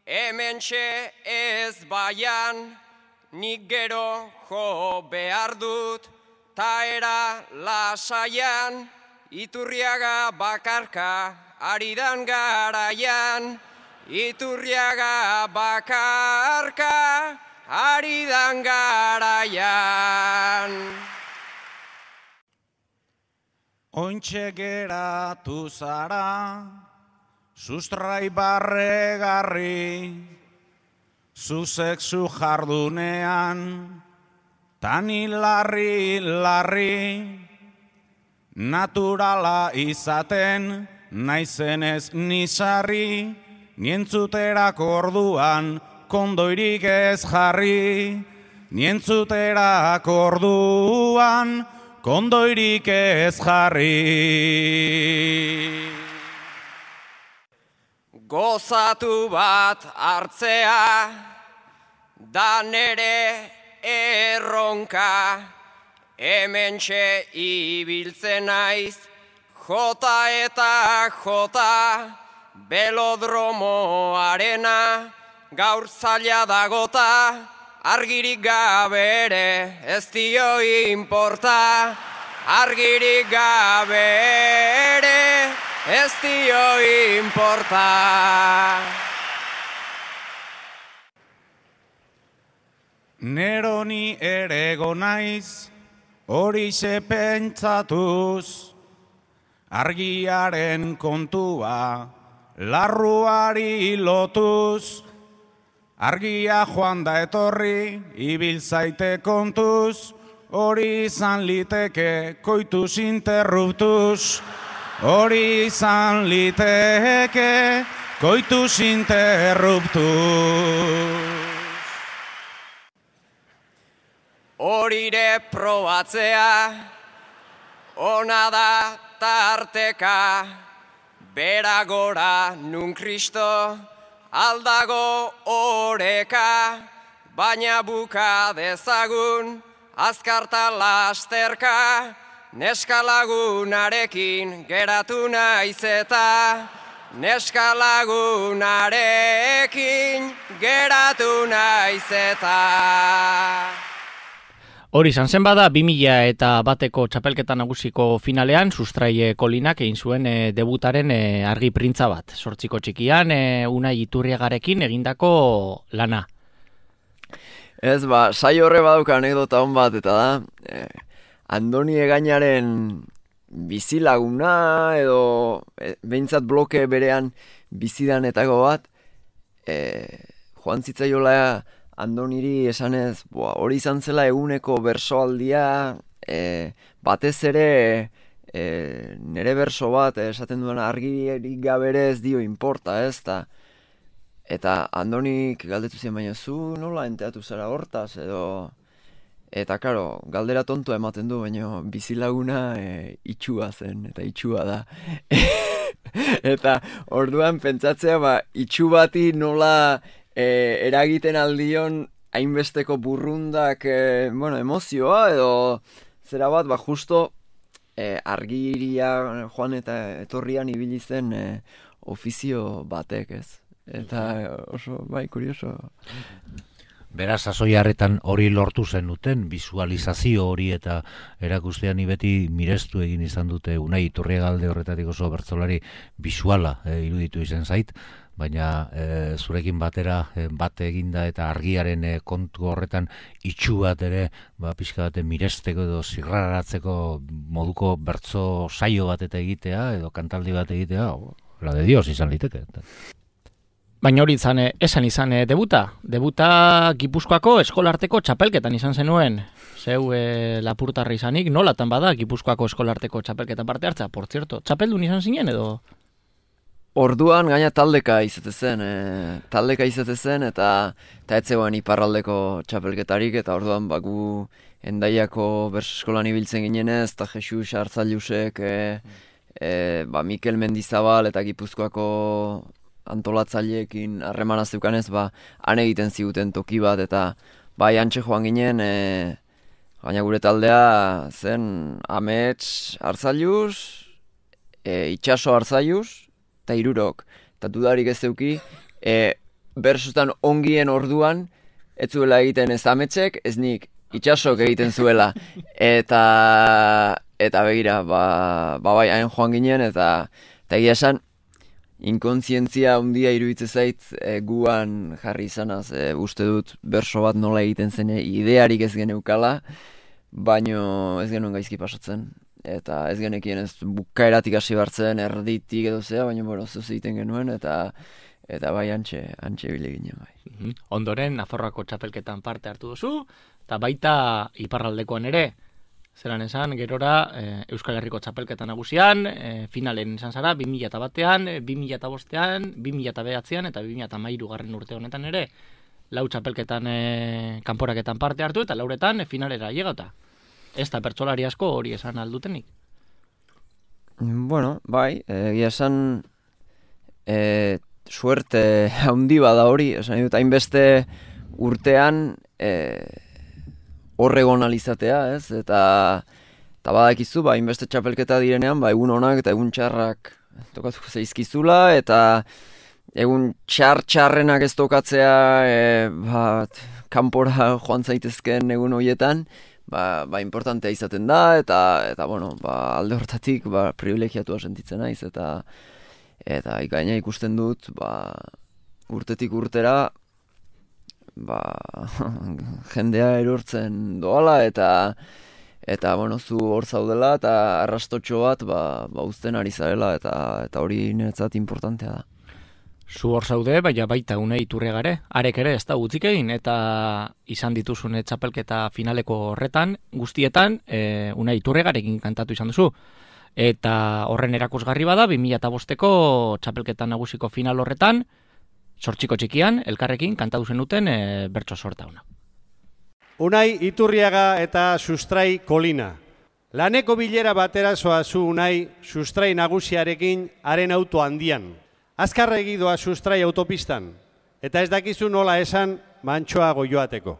hementxe ez baian, nik gero jo behar dut, ta era lasaian, Iturriaga bakarka aridan garaian, Iturriaga bakarka aridan garaian. Ointxe geratu zara, sustrai barregarri, zu sexu jardunean, tani larri, naturala izaten, naizenez nisarri, nientzuterako orduan, kondoirik ez jarri, nientzuterako orduan, kondoirik ez jarri. Gozatu bat hartzea, da nere erronka, hementxe ibiltzen naiz, jota eta jota, belodromoarena, gaur zaila dagota, argirik gabe ere ez dio inporta, argirik gabe ere ez dio inporta. Neroni erego naiz, horixe pentsatuz, argiaren kontua, larruari lotuz, argia joan da etorri, ibil zaite kontuz, hori izan liteke koitus interruptus, hori izan liteke koitus interruptus. Horire probatzea, ona da tarteka, bera gora nun Kristo, aldago oreka, baina buka dezagun, azkarta lasterka, neska lagunarekin geratu naiz eta, neska lagunarekin geratu naiz eta. Hori izan zen bada, 2001ko txapelketa nagusiko finalean, Sustrai Kolinak egin zuen debutaren argi printza bat. 8 txikian, Unai Iturriagarekin egindako lana. Ez, saio horre badauka anekdota hon bat, eta da, Andoni Egainaren bizilaguna, edo behintzat bloke berean bizidanetako bat, joan zitzaiola Andoniri esanez, hori izan zela eguneko bersoaldia, batez ere nere berso bat esaten duen argirik gabere ez dio inporta, ez da. Eta Andonik galdetu zien, baina zu nola enteatu zara hortaz, edo... Eta, karo, galdera tontua ematen du, baina bizilaguna itxua zen, eta itxua da. Eta orduan pentsatzea, itxu bati nola... eragiten aldion hainbesteko burrundak emozioa edo zera bat, justo argiria joan eta etorrian ibili zen ofizio batek, ez? Eta oso, kurioso. Beraz, sasoiarretan hori lortu zen duten, visualizazio hori eta erakustean beti mirestu egin izan dute Unai Iturriagalde horretatik oso bertsolari visuala iruditu izan zait, baina zurekin batera bat eginda eta argiaren kontu horretan itxu bat ere pixka bat miresteko edo zirraratzeko moduko bertso saio bat eta egitea edo kantaldi bat egitea, la de Dios izan liteke. Baina hori esan izan debuta. Debuta Gipuzkoako eskolarteko txapelketan izan zenuen. Zeu lapurtarri izanik, nolatan bada Gipuzkoako eskolarteko txapelketan parte hartza? Por cierto, txapeldun izan zinen edo? Orduan gaina taldeka izate zen eta etzegoen iparraldeko txapelketarik, eta orduan gu Endaiako bertsoeskolan ibiltzen ginenez, eta Jesus Artzailusek, Mikel Mendizabal eta Gipuzkoako antolatzaileekin harremana zeukanez, han egiten ziguten toki bat, eta antxe joan ginen, baina gure taldea zen Amets Artzailus, Itxaso Artzailus, eta Hirurok, eta dudarik ez zeuki, bersotan ongien orduan, ez zuela egiten ez Ametsek, ez nik Itxasok egiten zuela, eta begira, hain joan ginen, eta egia esan, inkontzientzia handia iruditzen zait guan jarri izanaz, uste dut berso bat nola egiten zen, idearik ez geneukala, baino ez genuen gaizki pasatzen. Eta ez genekien ez bukaeratik hasi bartzen, erditik edo zea, baina zuz egiten genuen, eta antxe bile ginen bai. Ondoren, Nafarroako txapelketan parte hartu duzu, eta baita iparraldekoan ere, zelan esan, gerora Euskal Herriko txapelketan nagusian, finalen izan zara, 2001an, 2005an, 2009an eta 2013 urte honetan ere, lau txapelketan kanporaketan parte hartu, eta lauretan finalera llegata. Ez da pertsolari asko hori esan aldutenik? Bueno, bai, egia esan suerte handi bada hori, esan dut, hainbeste urtean horregon alizatea, ez? Eta badakizu, hainbeste txapelketa direnean, egun honak eta egun txarrak tokatuko zaizkizula, eta egun txarrenak ez tokatzea kanpora joan zaitezken egun horietan, importantea izaten da, eta bueno, alde hortatik privilegiatua sentitzen naiz, eta gaina ikusten dut, urtetik urtera, jendea erortzen doala, eta bueno, zu hor zaudela, eta arrastotxo bat, uzten ari zarela, eta hori niretzat importantea da. Zu hor zaude, baita Unai Iturriagare, arek ere ez da gutzik egin, eta izan dituzune txapelketa finaleko horretan, guztietan, Unai Iturriagarekin kantatu izan duzu. Eta horren erakusgarri bada, 2005ko txapelketa nagusiko final horretan, Zortziko txikian, elkarrekin kantatu zenuten bertso sorta ona. Unai Iturriaga eta Sustrai Kolina. Laneko bilera batera zoazu Unai Sustrai nagusiarekin haren auto handian. Azkarregi doa Sustrai autopistan, eta ez dakizu nola esan mantxoa goioateko.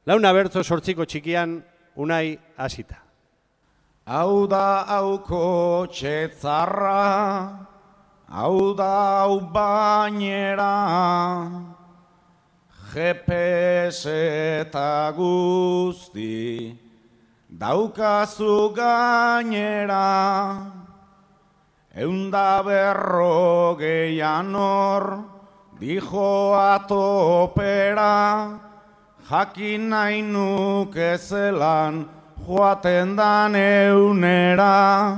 Launa bertso Zortziko txikian Unai hasita. Hau da hauko txetzarra, hau da hau bainera, GPS eta guzti daukazu gainera, 150 hor dijoa topera, jakin nahi nuke zelan joaten dan eunera,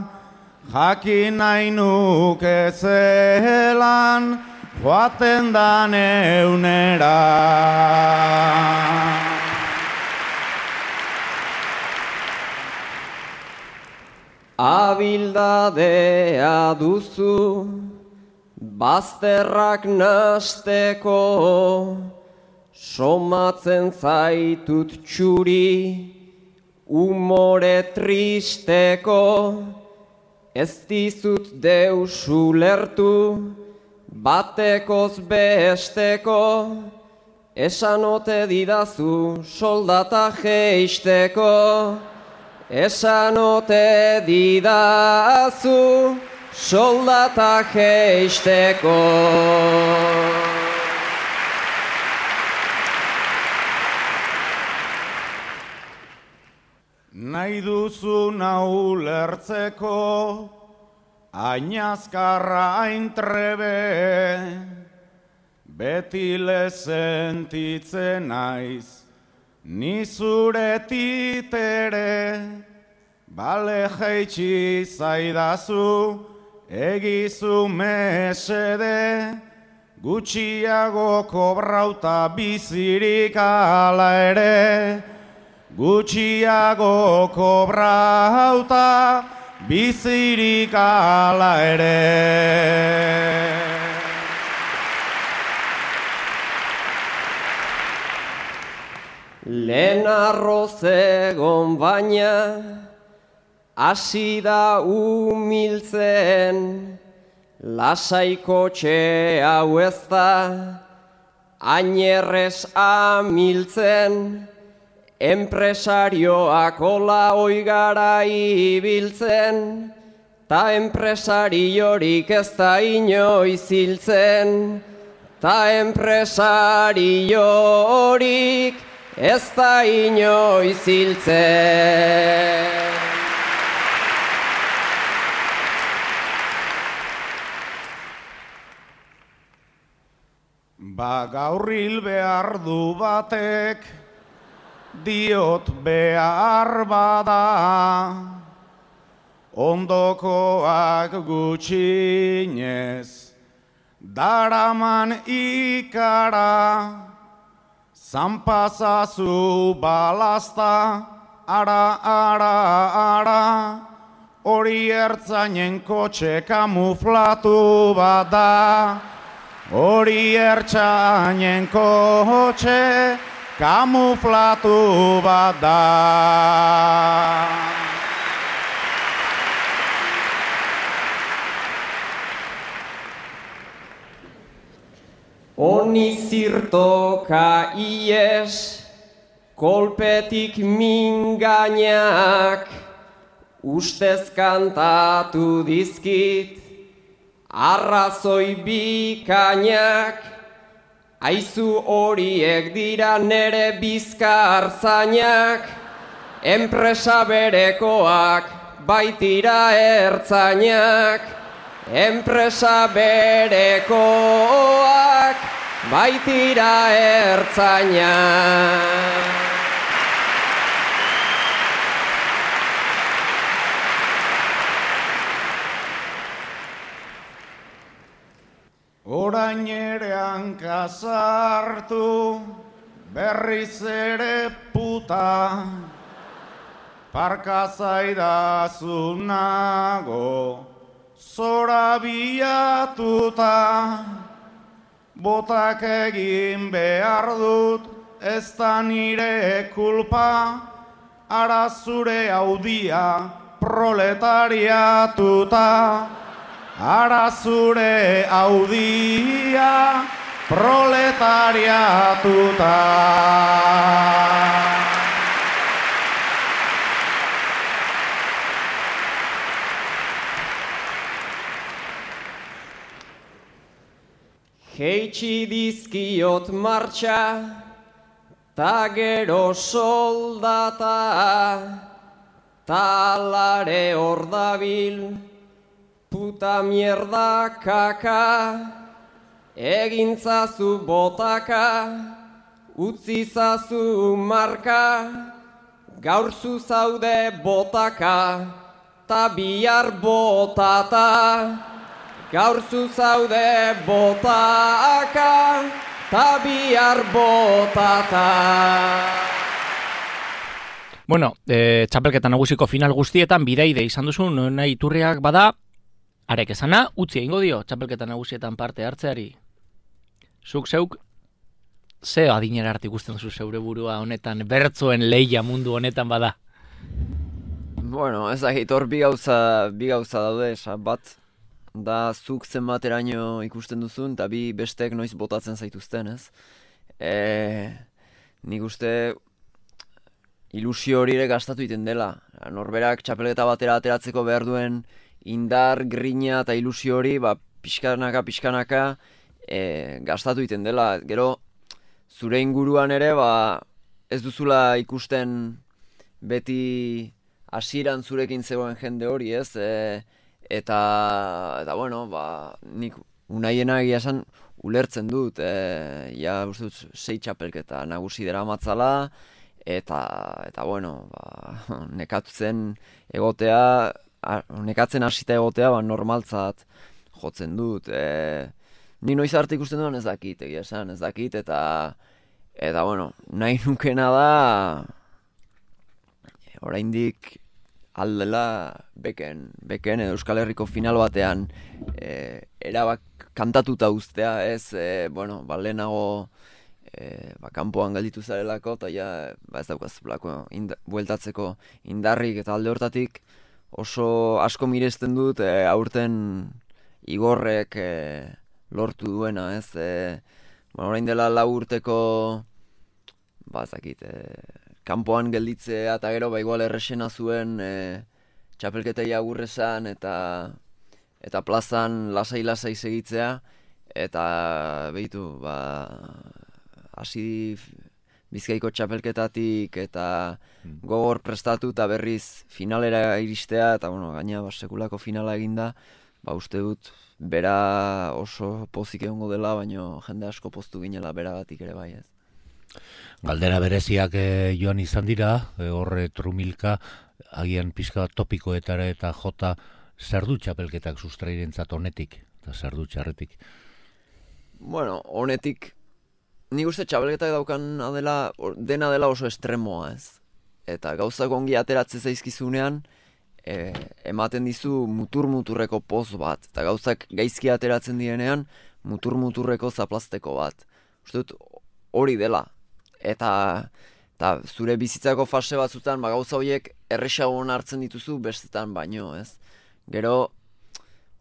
jakin nahi nuke zelan joaten dan eunera. Abildadea duzu, bazterrak nasteko, somatzen zaitut txuri, umore tristeko, ez dizut deus ulertu, batekoz besteko, esanote didazu soldata jeisteko, esanote didazu soldata jeisteko. Nahi duzu nau lertzeko, ainazkarra aintrebe, beti lezentitzen naiz, ni zure titere, bale jaitsi zaidazu, egizu mesede, gutxiago kobrauta bizirik ala ere, gutxiago kobrauta bizirik ala ere. Lehen arroz egon baina, hasi da umiltzen, lasaiko txe hau ez da, ainerrez amiltzen, enpresarioak ola oigara ibiltzen, ta enpresariorik ez da inoiz hiltzen, ta enpresariorik ez da inoiz hiltzen. Gaur hil behar du batek, diot behar bada, ondokoak gutxinez, daraman ikara, zanpazazu balazta, ara, hori ertzainen kotxe kamuflatu bada, hori ertzainen kotxe kamuflatu bada. Honi zirtoka ies, kolpetik mingainak, ustez kantatu dizkit, arrazoi bikainak, aizu horiek dira nere bizkarzainak, enpresa berekoak baitira ertzainak, enpresa berekoak baitira ertzainak. Orain ere hankasartu, berriz ere puta, parka zaidazu nago, zora biatuta, botak egin behar dut, ez da nire kulpa, ara zure audia proletariatuta. Ara zure audia proletariatuta. Jeitsi dizkiot martxa, ta gero soldata, talare hor dabil, puta mierda kaka, egintzazu botaka, utzizazu marka, gaur zu zaude botaka, ta bihar botata. Gaur zu zaude botaka, ta bihar botata. Bueno, txapelketa nagusiko final guztietan bidaide izan duzu, nahi Iturriak bada, arek esana, utzi egingo dio txapelketa nagusietan parte hartzeari. Zuk zeuk, ze adinera arte ikusten duzu zeure burua honetan, bertzoen lehia mundu honetan bada? Bueno, ez dakit hor bi gauza daude, bat da zuk zenbateraino ikusten duzun, eta bi bestek noiz botatzen zaituzten, ez? Nik uste ilusio hori ere gastatu iten dela. Norberak txapelketa batera ateratzeko behar duen indar, grina eta ilusio hori, pixkanaka gastatu iten dela. Gero, zure inguruan ere, ez duzula ikusten beti hasieran zurekin zegoen jende hori, ez? Eta bueno, nik unaiena egia esan ulertzen dut, uste dut 6 txapelketa nagusi dera matzala, eta bueno, nekatzen hasita egotea, normaltzat jotzen dut. Ni noiz arte ikusten duan ez dakit, egia esan, ez dakit, eta bueno, nahi nukena da, oraindik aldela beken edo Euskal Herriko final batean erabak kantatuta uztea, ez, bueno, lehenago kanpoan galditu zarelako, eta ez daukaz bueltatzeko indarrik, eta alde hortatik oso asko miresten dut aurten Igorrek lortu duena, ez, orain dela 4 urteko, ez dakit, kanpoan gelditzea eta gero igual errexena zuen txapelketei agur esan eta plazan lasai segitzea, eta behitu, hasi Bizkaiko txapelketatik eta gogor prestatu eta berriz finalera iristea, eta bueno, gaina sekulako finala eginda, uste dut bera oso pozik egongo dela, baino jende asko poztu ginela beragatik ere bai, ez. Galdera bereziak joan izan dira, horre trumilka, agian pixka topikoetara eta jota zer du txapelketak sustrairentzat honetik, eta zer du txarretik? Bueno, honetik, nik uste txapelketak daukan dena dela oso estremoa, ez. Eta gauzak ongi ateratze zaizkizunean, ematen dizu muturreko poz bat, eta gauzak gaizki ateratzen direnean, muturreko zaplazteko bat. Uste dut hori dela. Eta zure bizitzako fase batzutan gauza horiek erresagoan hartzen dituzu bestetan baino, ez? Gero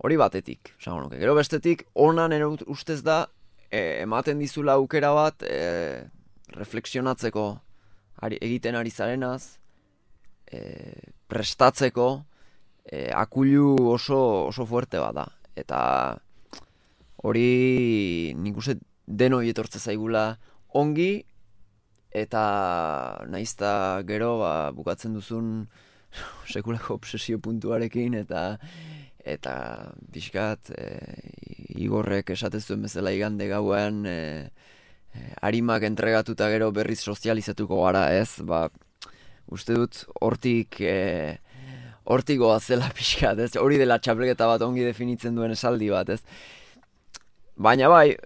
hori batetik, esango nuke. Gero bestetik honan ustez da ematen dizula aukera bat reflexionatzeko egiten ari zarenaz, prestatzeko akulu oso fuerte bat da. Eta hori nik uste denoi etortze zaigula ongi, eta naizta gero bukatzen duzun sekulako obsesio puntuarekin eta pixkat Igorrek esatez duen bezala igande gauean arimak entregatuta gero berriz sozializatuko gara, ez? Uste dut hortik goazela pixkat, ez? Hori dela txapelketa bat ongi definitzen duen esaldi bat, ez? Baina bai,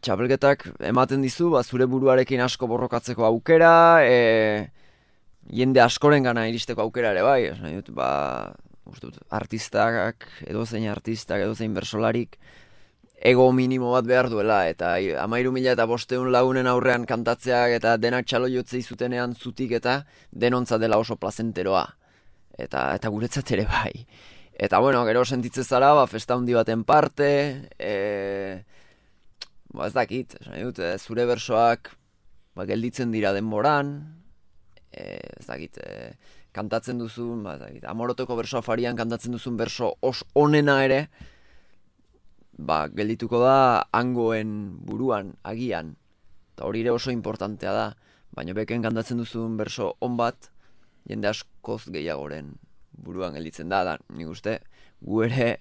txapelketak ematen dizu, zure buruarekin asko borrokatzeko aukera, jende askoren gana iristeko aukera ere bai, nahi dut, artistak, edozein bersolarik, ego minimo bat behar duela, eta 13.500 lagunen aurrean kantatzeak eta denak txalo jotzei zutenean zutik eta denontza dela oso plazenteroa, eta guretzat ere bai. Eta bueno, gero sentitzen zara, festa handi baten parte, ez dakit, nahi dut, zure bersoak gelditzen dira denboran, ez dakit, kantatzen duzun, Amorotoko berso afarian kantatzen duzun berso onena ere, geldituko da hangoen buruan, agian, eta hori ere oso importantea da, baina beken kantatzen duzun berso on bat, jende askoz gehiagoren buruan gelditzen da, nik uste, gu ere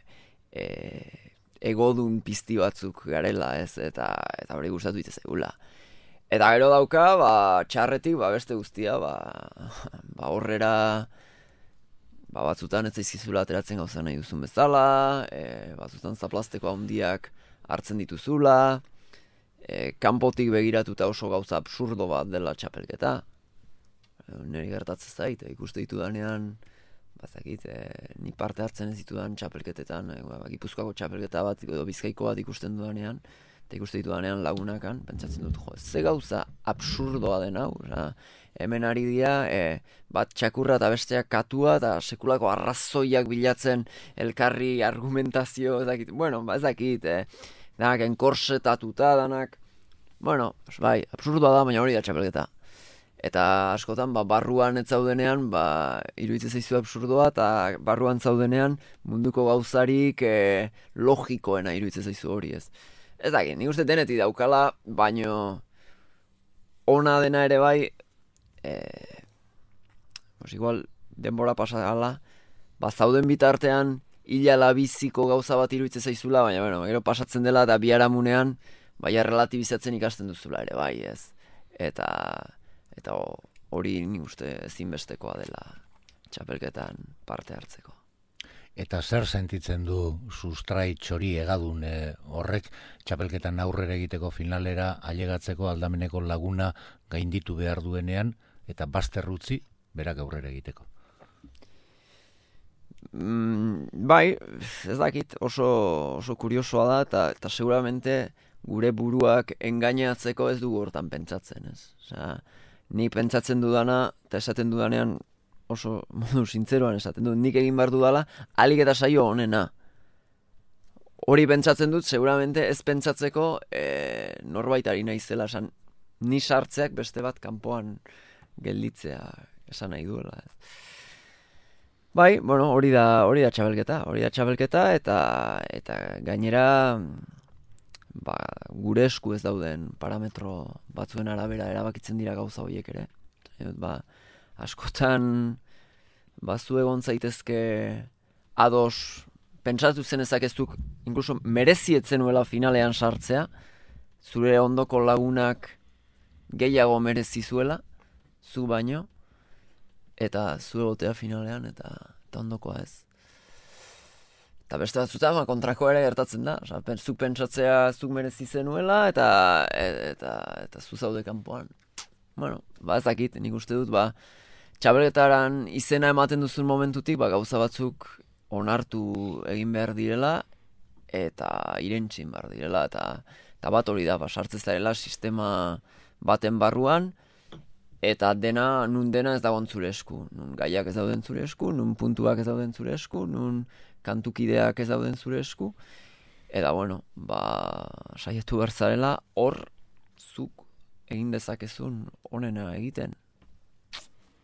egodun pizti batzuk garela, ez, eta hori gustatu itezegula. Eta gero dauka, txarretik, beste guztia, horrera, batzutan ez zaizkizula ateratzen gauza nahi duzun bezala, batzutan zaplasteko handiak hartzen dituzula, kanpotik begiratuta oso gauza absurdo bat dela txapelketa. Niri gertatzen zait, ikuste ditudanean, nik parte hartzen ez ditudan txapelketetan, Gipuzkoako txapelketa bat, edo Bizkaiko bat ikusten dudanean, eta ikuste ditudanean lagunakan, pentsatzen dut, ze gauza absurdoa den hau, hemen ari dira, bat txakurra eta besteak katua, eta sekulako arrazoiak bilatzen elkarri argumentazio, ez dakit, danak enkorsetatuta, danak, absurdoa da, baina hori da txapelketa. Eta askotan, barruan ez zaudenean, iruditzen zaizu absurdoa, eta barruan zaudenean munduko gauzarik logikoena iruditzen zaizu hori, ez. Ez dakit, nik uste denetik daukala, baino ona dena ere bai, igual denbora pasagala, zauden bitartean hilala biziko gauza bat iruditzen zaizula, baina gero pasatzen dela eta biharamunean relatibizatzen ikasten duzula ere bai, ez. Eta hori nik uste ezinbestekoa dela txapelketan parte hartzeko. Eta zer sentitzen du sustrai txori egadun horrek txapelketan aurrera egiteko finalera ailegatzeko aldameneko laguna gainditu behar duenean eta bazterrutzi berak aurrera egiteko? Bai, ez dakit, oso kuriosoa da eta seguramente gure buruak engainatzeko ez dugu hortan pentsatzen, ez? Ni pentsatzen dudana eta esaten dudanean oso modu sintzeroan esaten dut, nik egin behar dudala, alik eta saio honena. Hori pentsatzen dut, seguramente ez pentsatzeko norbaitari naizela, ni sartzeak beste bat kanpoan gelditzea esan nahi duela. Bai, hori da txabelketa, eta gainera gure esku ez dauden parametro batzuen arabera erabakitzen dira gauza horiek ere. Askotan zu egon zaitezke ados pentsatu zen ezakeztuk inkluso merezietzen nuela finalean sartzea, zure ondoko lagunak gehiago merezizuela, zu baino, eta zu egotea finalean eta ondokoa ez. Eta beste batzutan kontrako ere gertatzen da, zuk pentsatzea zuk merezi zenuela eta zu zaude kanpoan. Ez dakit, nik uste dut, txabelketaran izena ematen duzun momentutik, gauza batzuk onartu egin behar direla eta irentzin behar direla, eta bat hori da, sartzez zarela sistema baten barruan, eta nun dena ez dagoen zure esku, nun gaiak ez dauden zure esku, nun puntuak ez dauden zure esku, nun kantukideak ez dauden zure esku, eta saietu behar zarela hor zuk egin dezakezun onena egiten.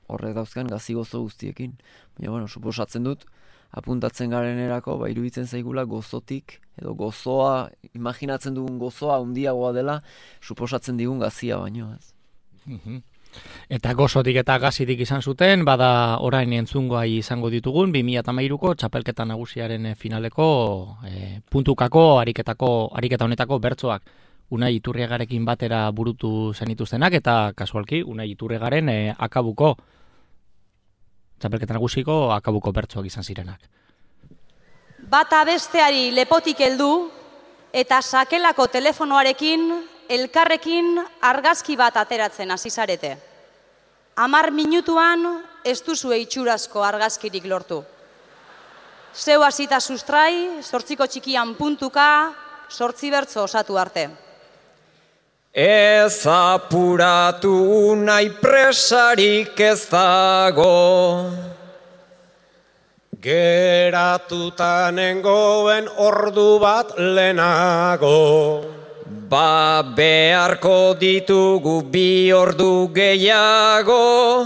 Horrek dauzkan gazi gozo guztiekin. Baina, suposatzen dut, apuntatzen garenerako, iruditzen zaigula gozotik, edo gozoa, imaginatzen dugun gozoa handiagoa dela, suposatzen digun gazia baino, ez. Eta gozotik eta gazitik izan zuten, bada orain entzungoai izango ditugun, 2013ko txapelketa nagusiaren finaleko puntukako ariketa honetako bertsoak. Unai Iturriagarekin batera burutu zenituztenak eta kasualki Unai Iturriagaren akabuko txapelketa nagusiko akabuko bertsoak izan zirenak. Bata besteari lepotik heldu eta sakelako telefonoarekin elkarrekin argazki bat ateratzen hasi zarete. 10 minutuan ez duzue itxurazko argazkirik lortu. Zeu hasita sustrai, 8 txikian puntuka, 8 bertso osatu arte. Ez apuratu nahi presarik ez dago. Geratuta nengoen ordu bat lehenago. Ba beharko ditugu 2 ordu gehiago.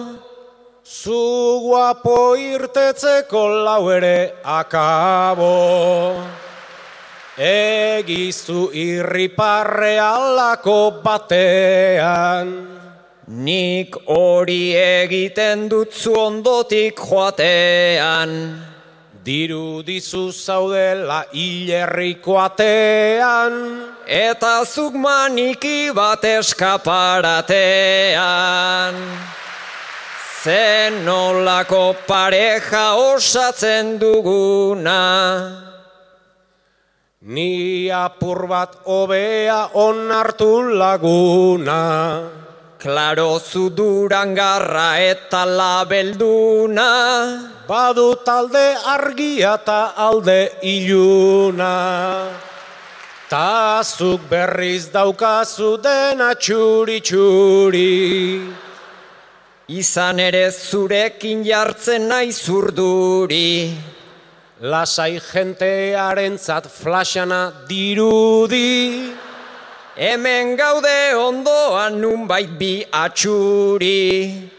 Zu guapo irtetzeko 4 ere akabo. Egizu irriparre alako batean. Nik hori egiten dutzu ondotik joatean. Dirudizu zaudela hilerriko atean. Eta zuk maniki bat eskaparatean. Zen nolako pareja osatzen duguna. Ni apur bat hobea onartu laguna. Klaro zu Durangarra eta labelduna. Badu talde argia eta alde iluna. Ta zuk berriz daukazu dena txuri-txuri. Izan ere zurekin jartzen nahi zurduri. Lasai jentearentzat flashana dirudi. Hemen gaude ondoan nunbait bi atxuri.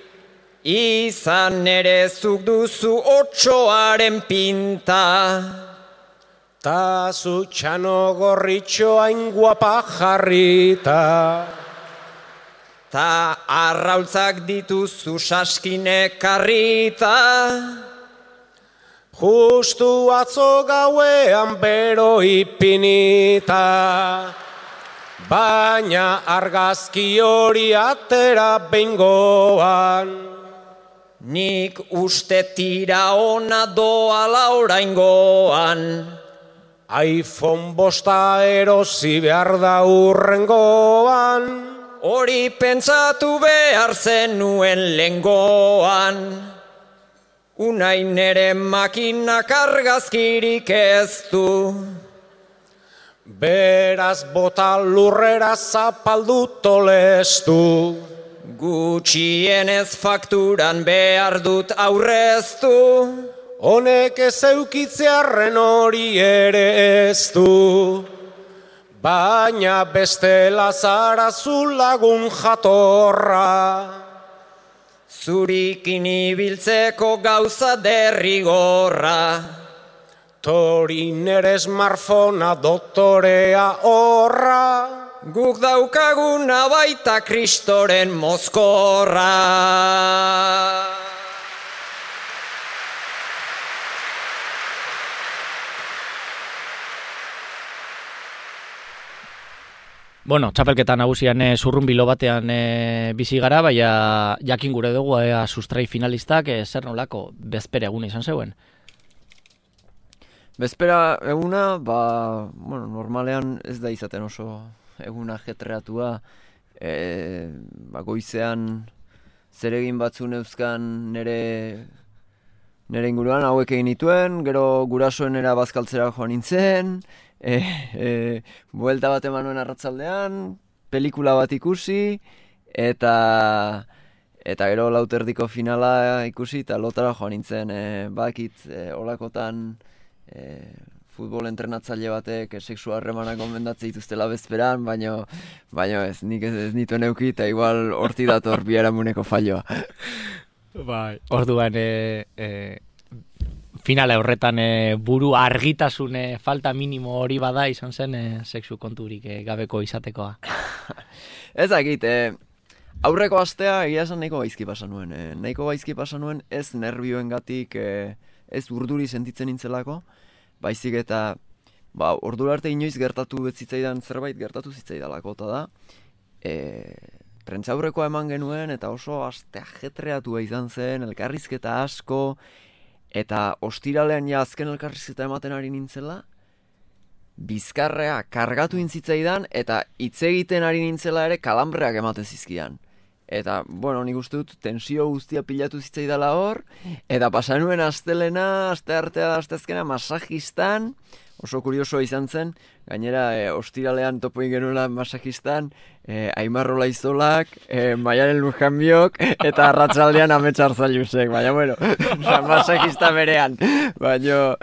Izan ere zuk duzu 8aren pinta. Ta zu txano gorritxo hain guapa jarrita. Ta arraultzak dituzu saskine karrita. Justu atzo gauean bero ipinita. Baina argazki hori atera behingoan. Nik uste tira ona doala oraingoan. iPhone 5 erosi behar da urrengoan. Hori pentsatu behar zenuen lengoan. Unai nere makinak argazkirik ez du. Beraz bota lurrera zapaldu tolestu. Gutxienez fakturan behar dut aurreztu. Honek ez eukitzearren hori ere ez du. Baina bestela zara zu lagun jatorra. Zurikin ibiltzeko gauza derrigorra. Torin ere smartphonea doktorea horra. Guk daukaguna baita kristoren mozkorra. Bueno, txapelketa nagusian zurrunbilo batean bizi gara, baina jakin gure dugu sustrai finalistak zer nolako bezpera eguna izan zeuen. Bezpera eguna, normalean ez da izaten oso eguna jetreatua. Goizean zeregin batzu neuzkan nere inguruan hauek egin nituen, gero gurasoenera bazkaltzera joan nintzen, buelta bat eman nuen arratzaldean, pelikula bat ikusi, eta gero lauterdiko finala ikusi, eta lotara joan nintzen, bakit olakotan futbol entrenatzaile batek sexu harremanak gomendatzen dituztela bezperan, baino ez, nik ez nituen euki, eta igual horti dator biharamuneko falloa. Bai, orduan finala horretan buru argitasun falta minimo hori bada izan zen sexu konturik gabeko izatekoa. Ez dakit, aurreko astea egia esan nahiko gaizki pasa nuen. Nahiko gaizki pasa nuen ez nervioengatik, ez urduri sentitzen nintzelako, baizik eta ordura arte inoiz gertatu zitzaidan zerbait gertatu zitzaidalako, eta da, prentsaurrekoa eman genuen, eta oso aste ajetreatua izan zen, elkarrizketa asko, eta ostiralean ja azken elkarrizketa ematen ari nintzela, bizkarrea kargatu intzitzaidan, eta hitz egiten ari nintzela ere kalambreak ematen zizkidan. Eta, bueno, nik uste dut tensio guztia pilatu zitzaidala hor, eta pasanuen astelena, asteartea, asteazkena, masajistan, oso kurioso izan zen, gainera ostiralean topo genuela masajistan, Aimar Olaizolak, Maialen Lujanbiok, eta arratsaldean Amets Arzailusek, baina, bueno, masajista berean, baina,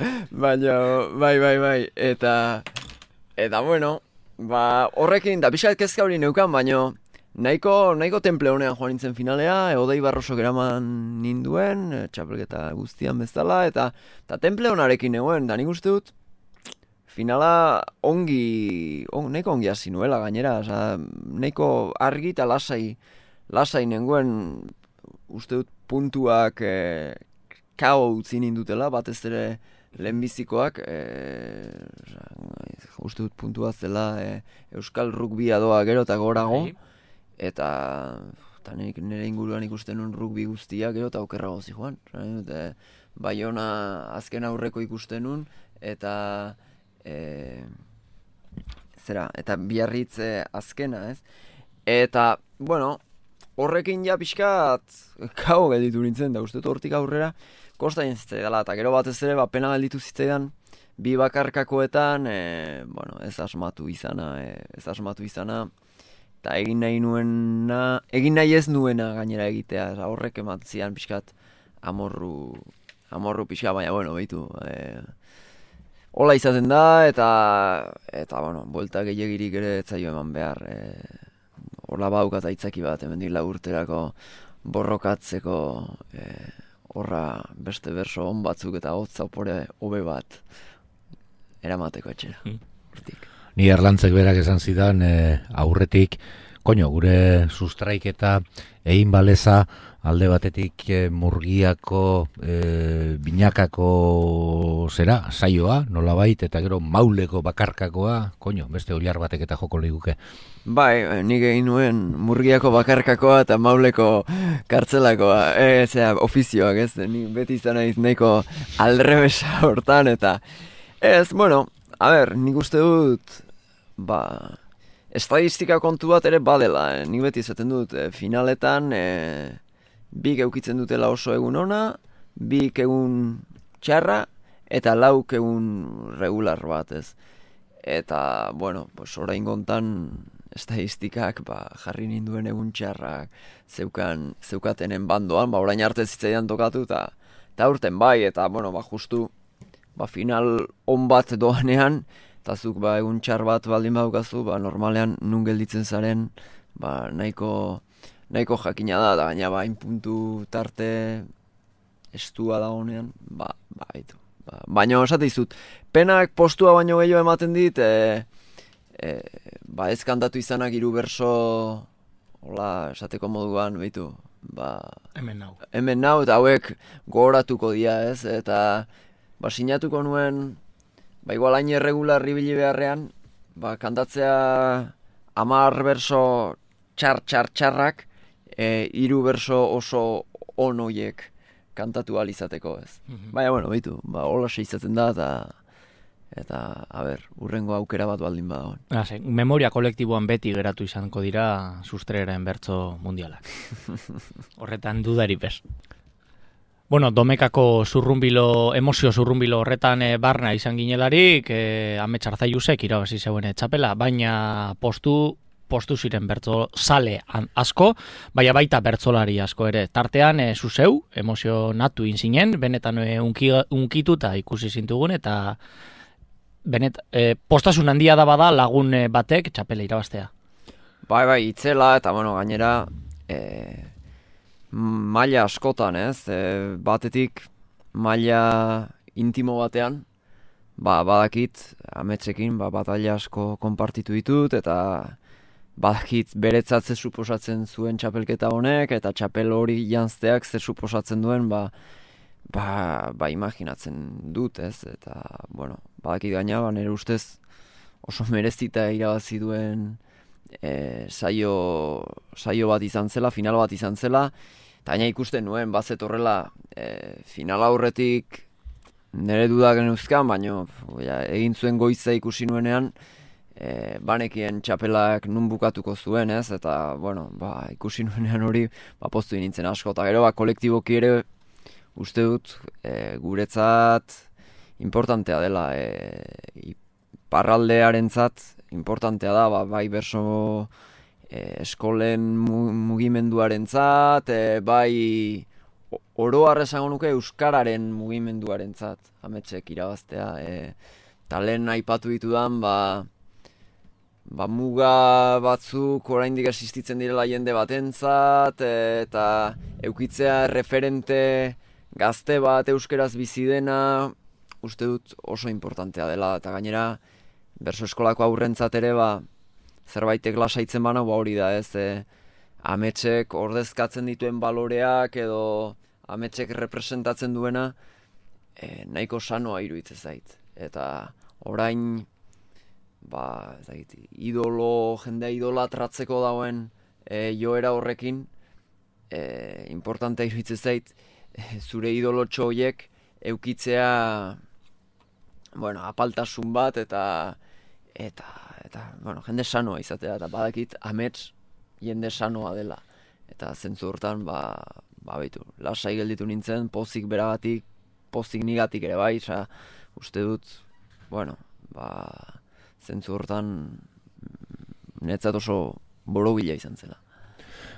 bai, eta, bueno, horrekin, da pixat kezka hori neukan, baina, nahiko temple honean joan nintzen finalea, Odei Barrosok eraman ninduen, txapelketa guztian bezala, eta temple honarekin neuen, da nik uste dut, finala nahiko ongi hasi nuela gainera, nahiko argi eta lasai nengoen, uste dut puntuak kao utzi nindutela, batez ere lehenbizikoak, uste dut puntua zela Euskal Rugbia doa gero eta gorago, eta nire inguruan ikusten nuen rugby guztiak gero eta okerrago zijoan. Baiona azken aurreko ikusten nuen, eta eta Biarritz azkena, ez? Eta, bueno, horrekin ja pixkat kao gelditu nintzen, da uste hortik aurrera kostaien zitzaidala, eta gero batez ere pena gelditu zitzaidan bi bakarkakoetan, ez asmatu izana, eta egin nahi ez nuena gainera egitea, horrek ematzian pixkat amorru pixka, baina, bueno, behitu, hola izaten da, eta bueno, buelta gehiagirik ere etzaio eman behar. Horla baukat aitzaki bat, hemendik laburterako borrokatzeko, horra beste berso on batzuk eta hotza opore hobe bat eramateko etxera. Ni Erlantzek berak esan zidan aurretik, gure sustraiketa egin baleza alde batetik Murgiako binakako saioa, nolabait, eta gero Mauleko bakarkakoa, beste oilar batek eta joko liguke. Bai, nik egin nuen Murgiako bakarkakoa eta Mauleko kartzelakoa, ofizioak, ez, nik beti izan naiz nahiko aldrebesa hortan, eta bueno, nik uste dut, estadistika kontu bat ere badela, nik beti esaten dut, finaletan, bik eukitzen dutela oso egun ona, bik egun txarra, eta lauk egun regular bat, ez. Eta, bueno, orain gontan estadistikak jarri ninduen egun txarrak zeukatenen bandoan, orain arte zitzaidan tokatu, eta urten bai, eta, bueno, justu, final on bat doanean, eta zuk egun txar bat baldin badukazu, normalean nun gelditzen zaren, nahiko jakina da, eta gaina hain puntu tarte estua da honean, baina esate izut, penak postua baino gehiago ematen dit, ez kantatu izanak 3 berso, hola, esateko moduan, behitu, hemen nau, eta hauek gogoratuko dira, ez, eta sinatuko nuen, igual hain irregular ibili beharrean, kantatzea 10 berso txarrak, 3 berso oso on hoiek kantatu ahal izateko, ez. Baina, bueno, behitu, hola izaten da, eta, urrengo aukera bat baldin badagoen. Memoria kolektiboan beti geratu izango dira sustreren bertso mundialak. Horretan dudari bez. Bueno, Domekako emozio zurrunbilo horretan barna izan ginelarik, Amets Arzailusek irabazi zeuen txapela, baina postu ziren bertso sale asko, baita bertsolari asko ere. Tartean, zuzeu, emozionatu inzinen, benetan unkituta ikusi zintugun, eta postasun handia da bada lagun batek txapela irabaztea. Bai, itzela, eta gainera, maila askotan, ez? Batetik maila intimo batean, badakit, Ametsekin, bataila asko konpartitu ditut, eta badakit beretzat ze suposatzen zuen txapelketa honek, eta txapel hori janzteak ze suposatzen duen, ba imaginatzen dut, ez? Eta, bueno, badakit gaina, nire ustez oso merezita irabazi duen saio bat izan zela, final bat izan zela, eta gaina ikusten nuen, bazet horrela, final aurretik nire dudak genuzkan, baina egin zuen goiza ikusi nuenean, banekien txapelak nun bukatuko zuen, ez? Eta, bueno, ikusi nuenean hori, poztu nintzen asko, eta gero, kolektiboki ere, uste dut, guretzat importantea dela, iparraldearentzat importantea da, bai berso eskolen mugimenduarentzat, bai oroar esango nuke euskararen mugimenduarentzat, ametsek irabaztea. Eta lehen aipatu ditudan, muga batzuk oraindik existitzen direla jende batentzat, eta eukitzea referente gazte bat euskeraz bizi dena, uste dut oso importantea dela, eta gainera berso eskolako aurrentzat ere zerbaitek lasaitzen bana hori da, ez? Ametsek ordezkatzen dituen baloreak edo ametsek representatzen duena nahiko sanoa iruditzen zait. Eta orain jendea idolatratzeko dauen joera horrekin importantea iruditzen zait zure idolotxo horiek eukitzea apaltasun bat eta jende sanoa izatea, eta badakit amets jende sanoa dela. Eta zentzu hortan, lasai gelditu nintzen, pozik beragatik, pozik nigatik ere bai, uste dut, zentzu hortan netzat oso borobila izan zela.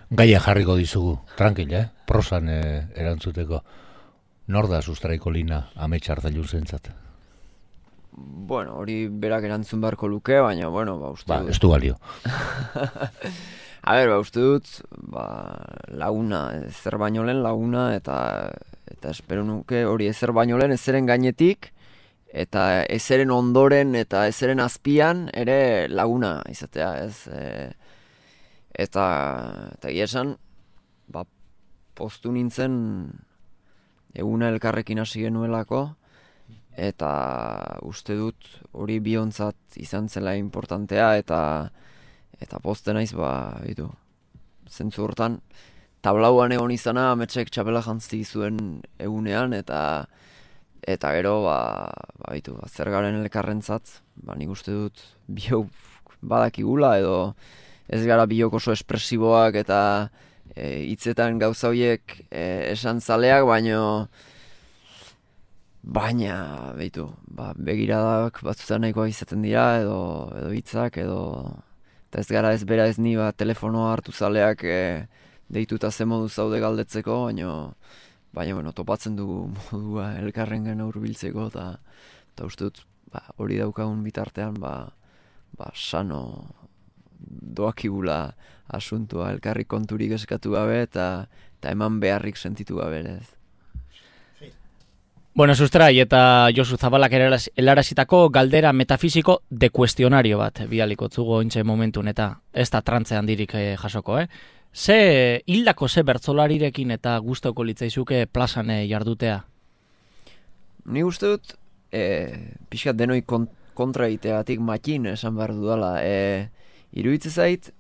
Gaia jarriko dizugu, tranquil, prosan erantzuteko. Nor da Sustraiko Lina amets Ardailun zentzat? Hori berak erantzun beharko luke, baina, uste dut... Ez du balio. Uste dut, laguna, ezer baino lehen laguna, eta espero nuke hori ezer baino lehen ezeren gainetik, eta ezeren ondoren eta ezeren azpian ere laguna izatea, ez? Eta egia esan, poztu nintzen eguna elkarrekin hasi genuelako, eta uste dut hori biontzat izan zela importantea, eta pozten naiz, zentzu hortan, tablauan egon izana ametsek txapela jantzi zuen egunean, eta gero, zer garen elkarrentzat, nik uste dut biok badakigula, edo ez gara biok oso espresiboak, eta hitzetan gauza horiek esan zaleak, baina, begiradak batzutan nahikoa izaten dira, edo hitzak, eta ez gara ez bera ez ni telefonoa hartu zaleak deituta ze modu zaude galdetzeko, baina topatzen dugu modua elkarrengan hurbiltzeko, eta uste dut hori daukagun bitartean, sano doakigula asuntua, elkarri konturik eskatu gabe, eta eman beharrik sentitu gabe, ez? Bueno, Sustrai eta Josu Zabalak helarazitako galdera metafisiko de kuestionario bat bidaliko zugo ointxe momentun, eta ez da trantze handirik jasoko, Ze hildako ze bertsolarirekin eta gustoko litzaizuke plazan jardutea? Ni uste dut, pixkat denoi kontra egiteagatik makin esan behar dudala. Iruditzen zait,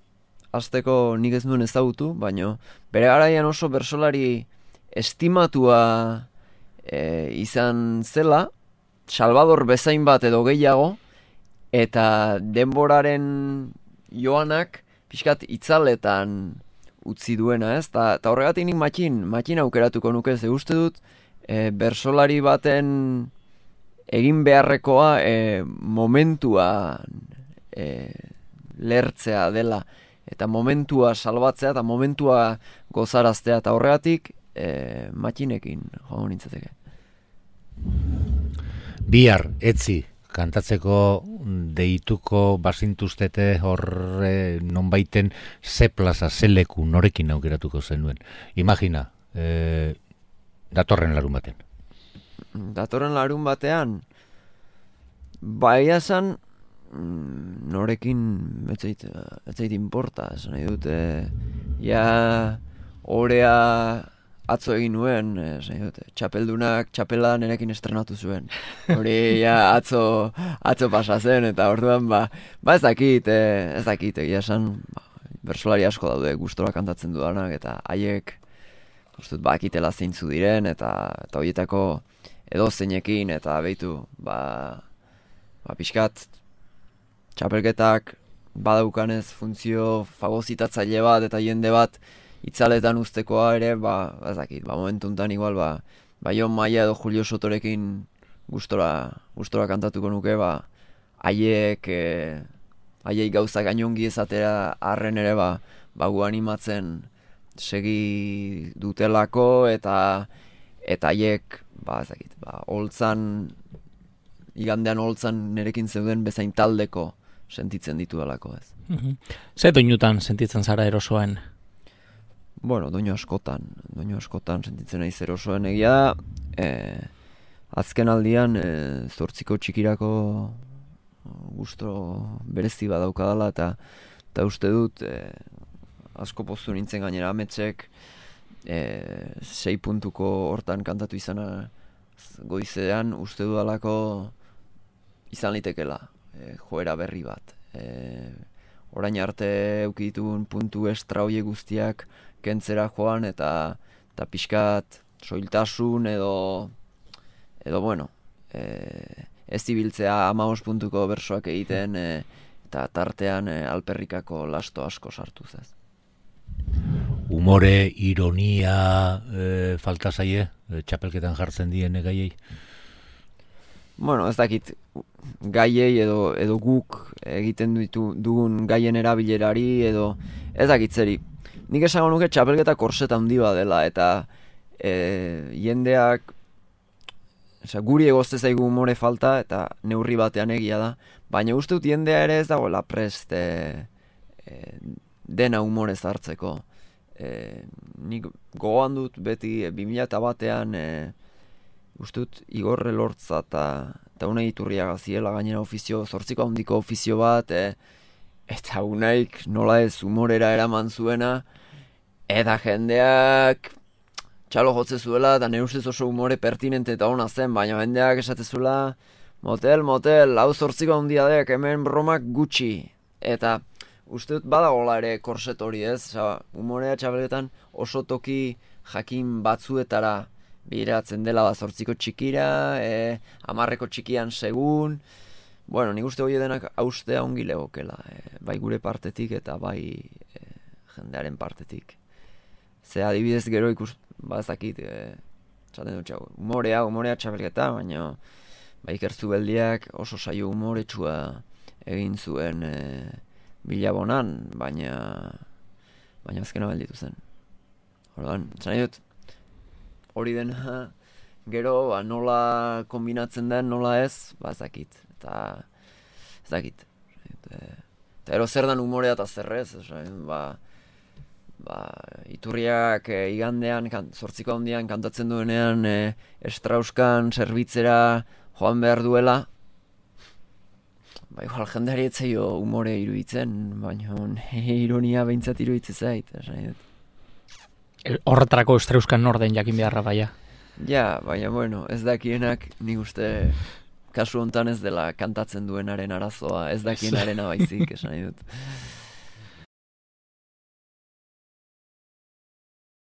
hasteko nik ez nuen ezagutu, baina bere garaian oso bertsolari estimatua izan zela, Salvador bezain bat edo gehiago, eta denboraren joanak pixkat itzaletan utzi duena, ez? Ta horregatik nik makin aukeratuko nuke, ze uste dut bertsolari baten egin beharrekoa momentua lertzea dela, eta momentua salbatzea, eta momentua gozaraztea, eta horregatik makinekin joango nintzateke. Bihar, etzi, kantatzeko deituko bazintuztete horre nonbaiten ze plaza, ze leku norekin aukeratuko zenuen. Imagina, datorren larun batean. Datorren larun batean, baia esan, norekin ez zait inporta, esan nahi dut, orea atzo egin nuen, esan nahi dut, txapeldunak txapela nerekin estrenatu zuen. Hori atzo pasa zen, eta orduan ez dakit, egia esan, bersolari asko daude gustora kantatzen dudanak, eta haiek bakitela zeintzu diren, eta horietako edozeinekin, eta behitu, pixkat, txapelketak badaukanez funtzio fagozitatzaile bat eta jende bat itzaletan uztekoa ere, ez dakit, momentuntan igual, Jon Maia edo Julio Sotorekin gustora kantatuko nuke, haiek gauzak gainongi ezatera arren ere, gu animatzen segi dutelako, eta haiek, ez dakit, igandean holtzan nerekin zeuden bezain taldeko sentitzen ditudalako, ez. Ze doinutan sentitzen zara erosoen? Bueno, doinu askotan sentitzen naiz erosoen, egia da, azken aldian, 8 txikirako gusto berezi badaukadala, eta uste dut, asko poztu nintzen gainera ametsek, 6 puntuko hortan kantatu izana goizean, uste dudalako izan litekela, joera berri bat. Orain arte eukiditun puntu estra hoiek guztiak kentzera joan, eta pixkat soiltasun edo bueno, ez ibiltzea 15 puntuko bersoak egiten, eta tartean alperrikako lasto asko sartuz, ez. Humore, ironia, falta zaie, txapelketan jartzen dien gaiei? Bueno, ez dakit, gaiei edo guk egiten dugun gaien erabilerari, edo ez dakit zeri. Nik esango nuke txapelketa korseta handi bat dela, eta jendeak, guri egozte zaigu humore falta, eta neurri batean egia da, baina uste dut jendea ere ez dagoela prest dena humorez hartzeko. Nik gogoan dut beti 2001an uste dut Igor Elortza eta Unai Iturriaga ziela gainera ofizio, 8 handiko ofizio bat, eta Unaik nola ez humorera eraman zuena, eta jendeak txalo jotze zuela, eta nire ustez oso humore pertinente eta ona zen, baina jendeak esatezuela, motel, hau 8 handia dek, hemen bromak gutxi, eta uste dut badagola ere korset hori, ez? Humorea txapelketan oso toki jakin batzuetara bideratzen dela 8 txikira, 10 txikian segun. Bueno, nik uste hori denak haustea ongi legokela, bai gure partetik eta bai jendearen partetik. Ze adibidez gero ezakit, txaten dut txau, humorea txapelketa, baina Iker Zubeldiak oso saio humoretsua egin zuen Bilabonan, baina azkena belditu zen. Orduan, txan dut, hori dena gero nola kombinatzen den, nola ez, ezakit. Eta ero zer dan humorea eta zerrez, Iturriak igandean, 8 handian kantatzen duenean Strauskan zerbitzera joan behar duela, igual jendeari etzaio humore iruditzen, baina ironia behintzat iruditzen zait. Horretarako Strauskan norden jakin beharra baia. Ja, baina bueno, ez dakienak nik uste kasu hontan ez dela kantatzen duenaren arazoa, ez dakienarena baizik, esan nahi dut.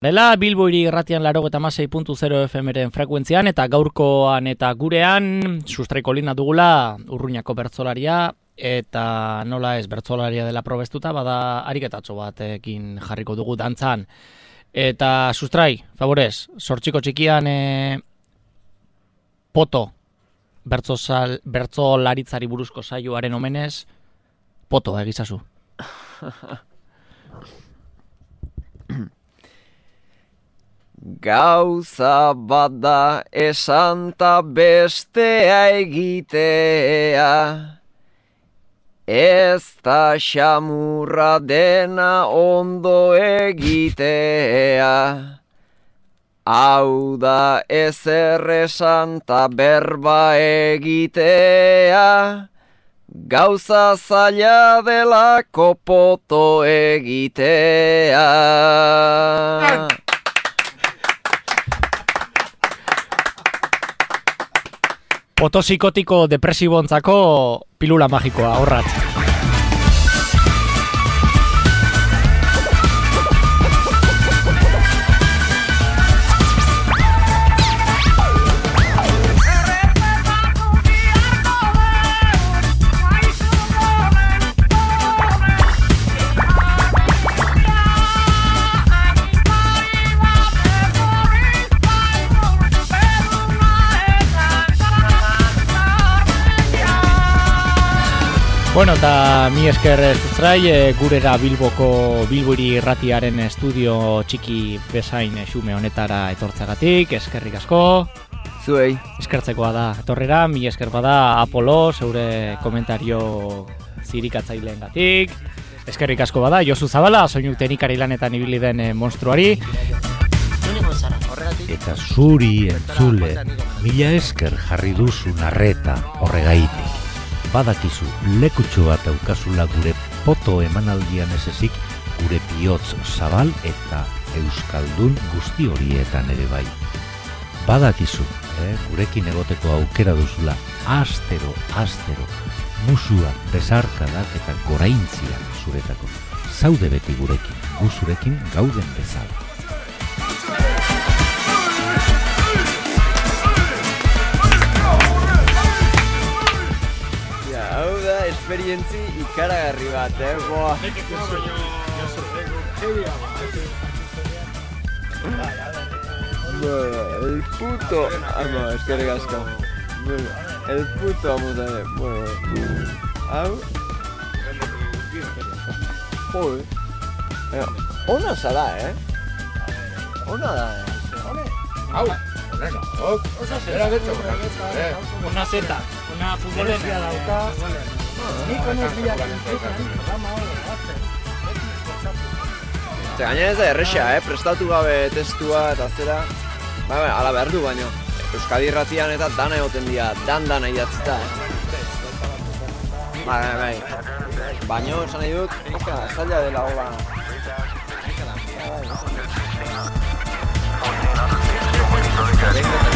Dela Bilbo hiri irratian 96.0 FM-ren frekuentzian, eta gaurkoan eta gurean Sustrai Kolina dugula Urruñako bertsolaria, eta nola ez bertsolaria dela probestuta, bada ariketatxo batekin jarriko dugu dantzan. Eta Sustrai, favorez, 8 txikian poto bertsolaritzari buruzko saioaren omenez, poto egizazu. Gauza bada esanta bestea egitea, ez da xamurra dena ondo egitea. Hau da ezer esan ta berba egitea, Gauza zaila delako poto egitea. Potosikotiko depresibontzako pilula magikoa, horratz. Bueno, eta mi esker sustrai, gurera Bilbori irratiaren estudio txiki bezain xume honetara etortzagatik, eskerrik asko. Zuei. Eskertzekoa da, etorrera, mi esker bada Apolo, zeure komentario zirikatzaileengatik. Eskerrik asko bada, Josu Zabala, soinu teknikari lanetan ibili den monstruari. Eta zuri entzule, mila esker jarri duzu narreta horregaitik. Badakizu, lekutxo bat daukazula gure poto emanaldian ez ezik, gure bihotz zabal eta euskaldun guzti horietan ere bai. Badakizu, gurekin egoteko aukera duzula, astero, musua, besarkadak eta goraintziak zuretako. Zaude beti gurekin, gu zurekin gauden bezala. Hau da, esperientzi ikaragarri bat, boa. Bueno, el puto... eskerrik asko. Bueno, el puto amuta, bueno. Hau... Joder. Ona zara, Ona da, Hau. Una zeta, una futbolera dauka. Gainera ez da erresa, prestatu gabe testua eta zera. Ala behar du baino. Euskadi irratian eta dana egoten dira, dan idatzita, Bai. Baino, esan nahi dut, zaila dela hola. Venga.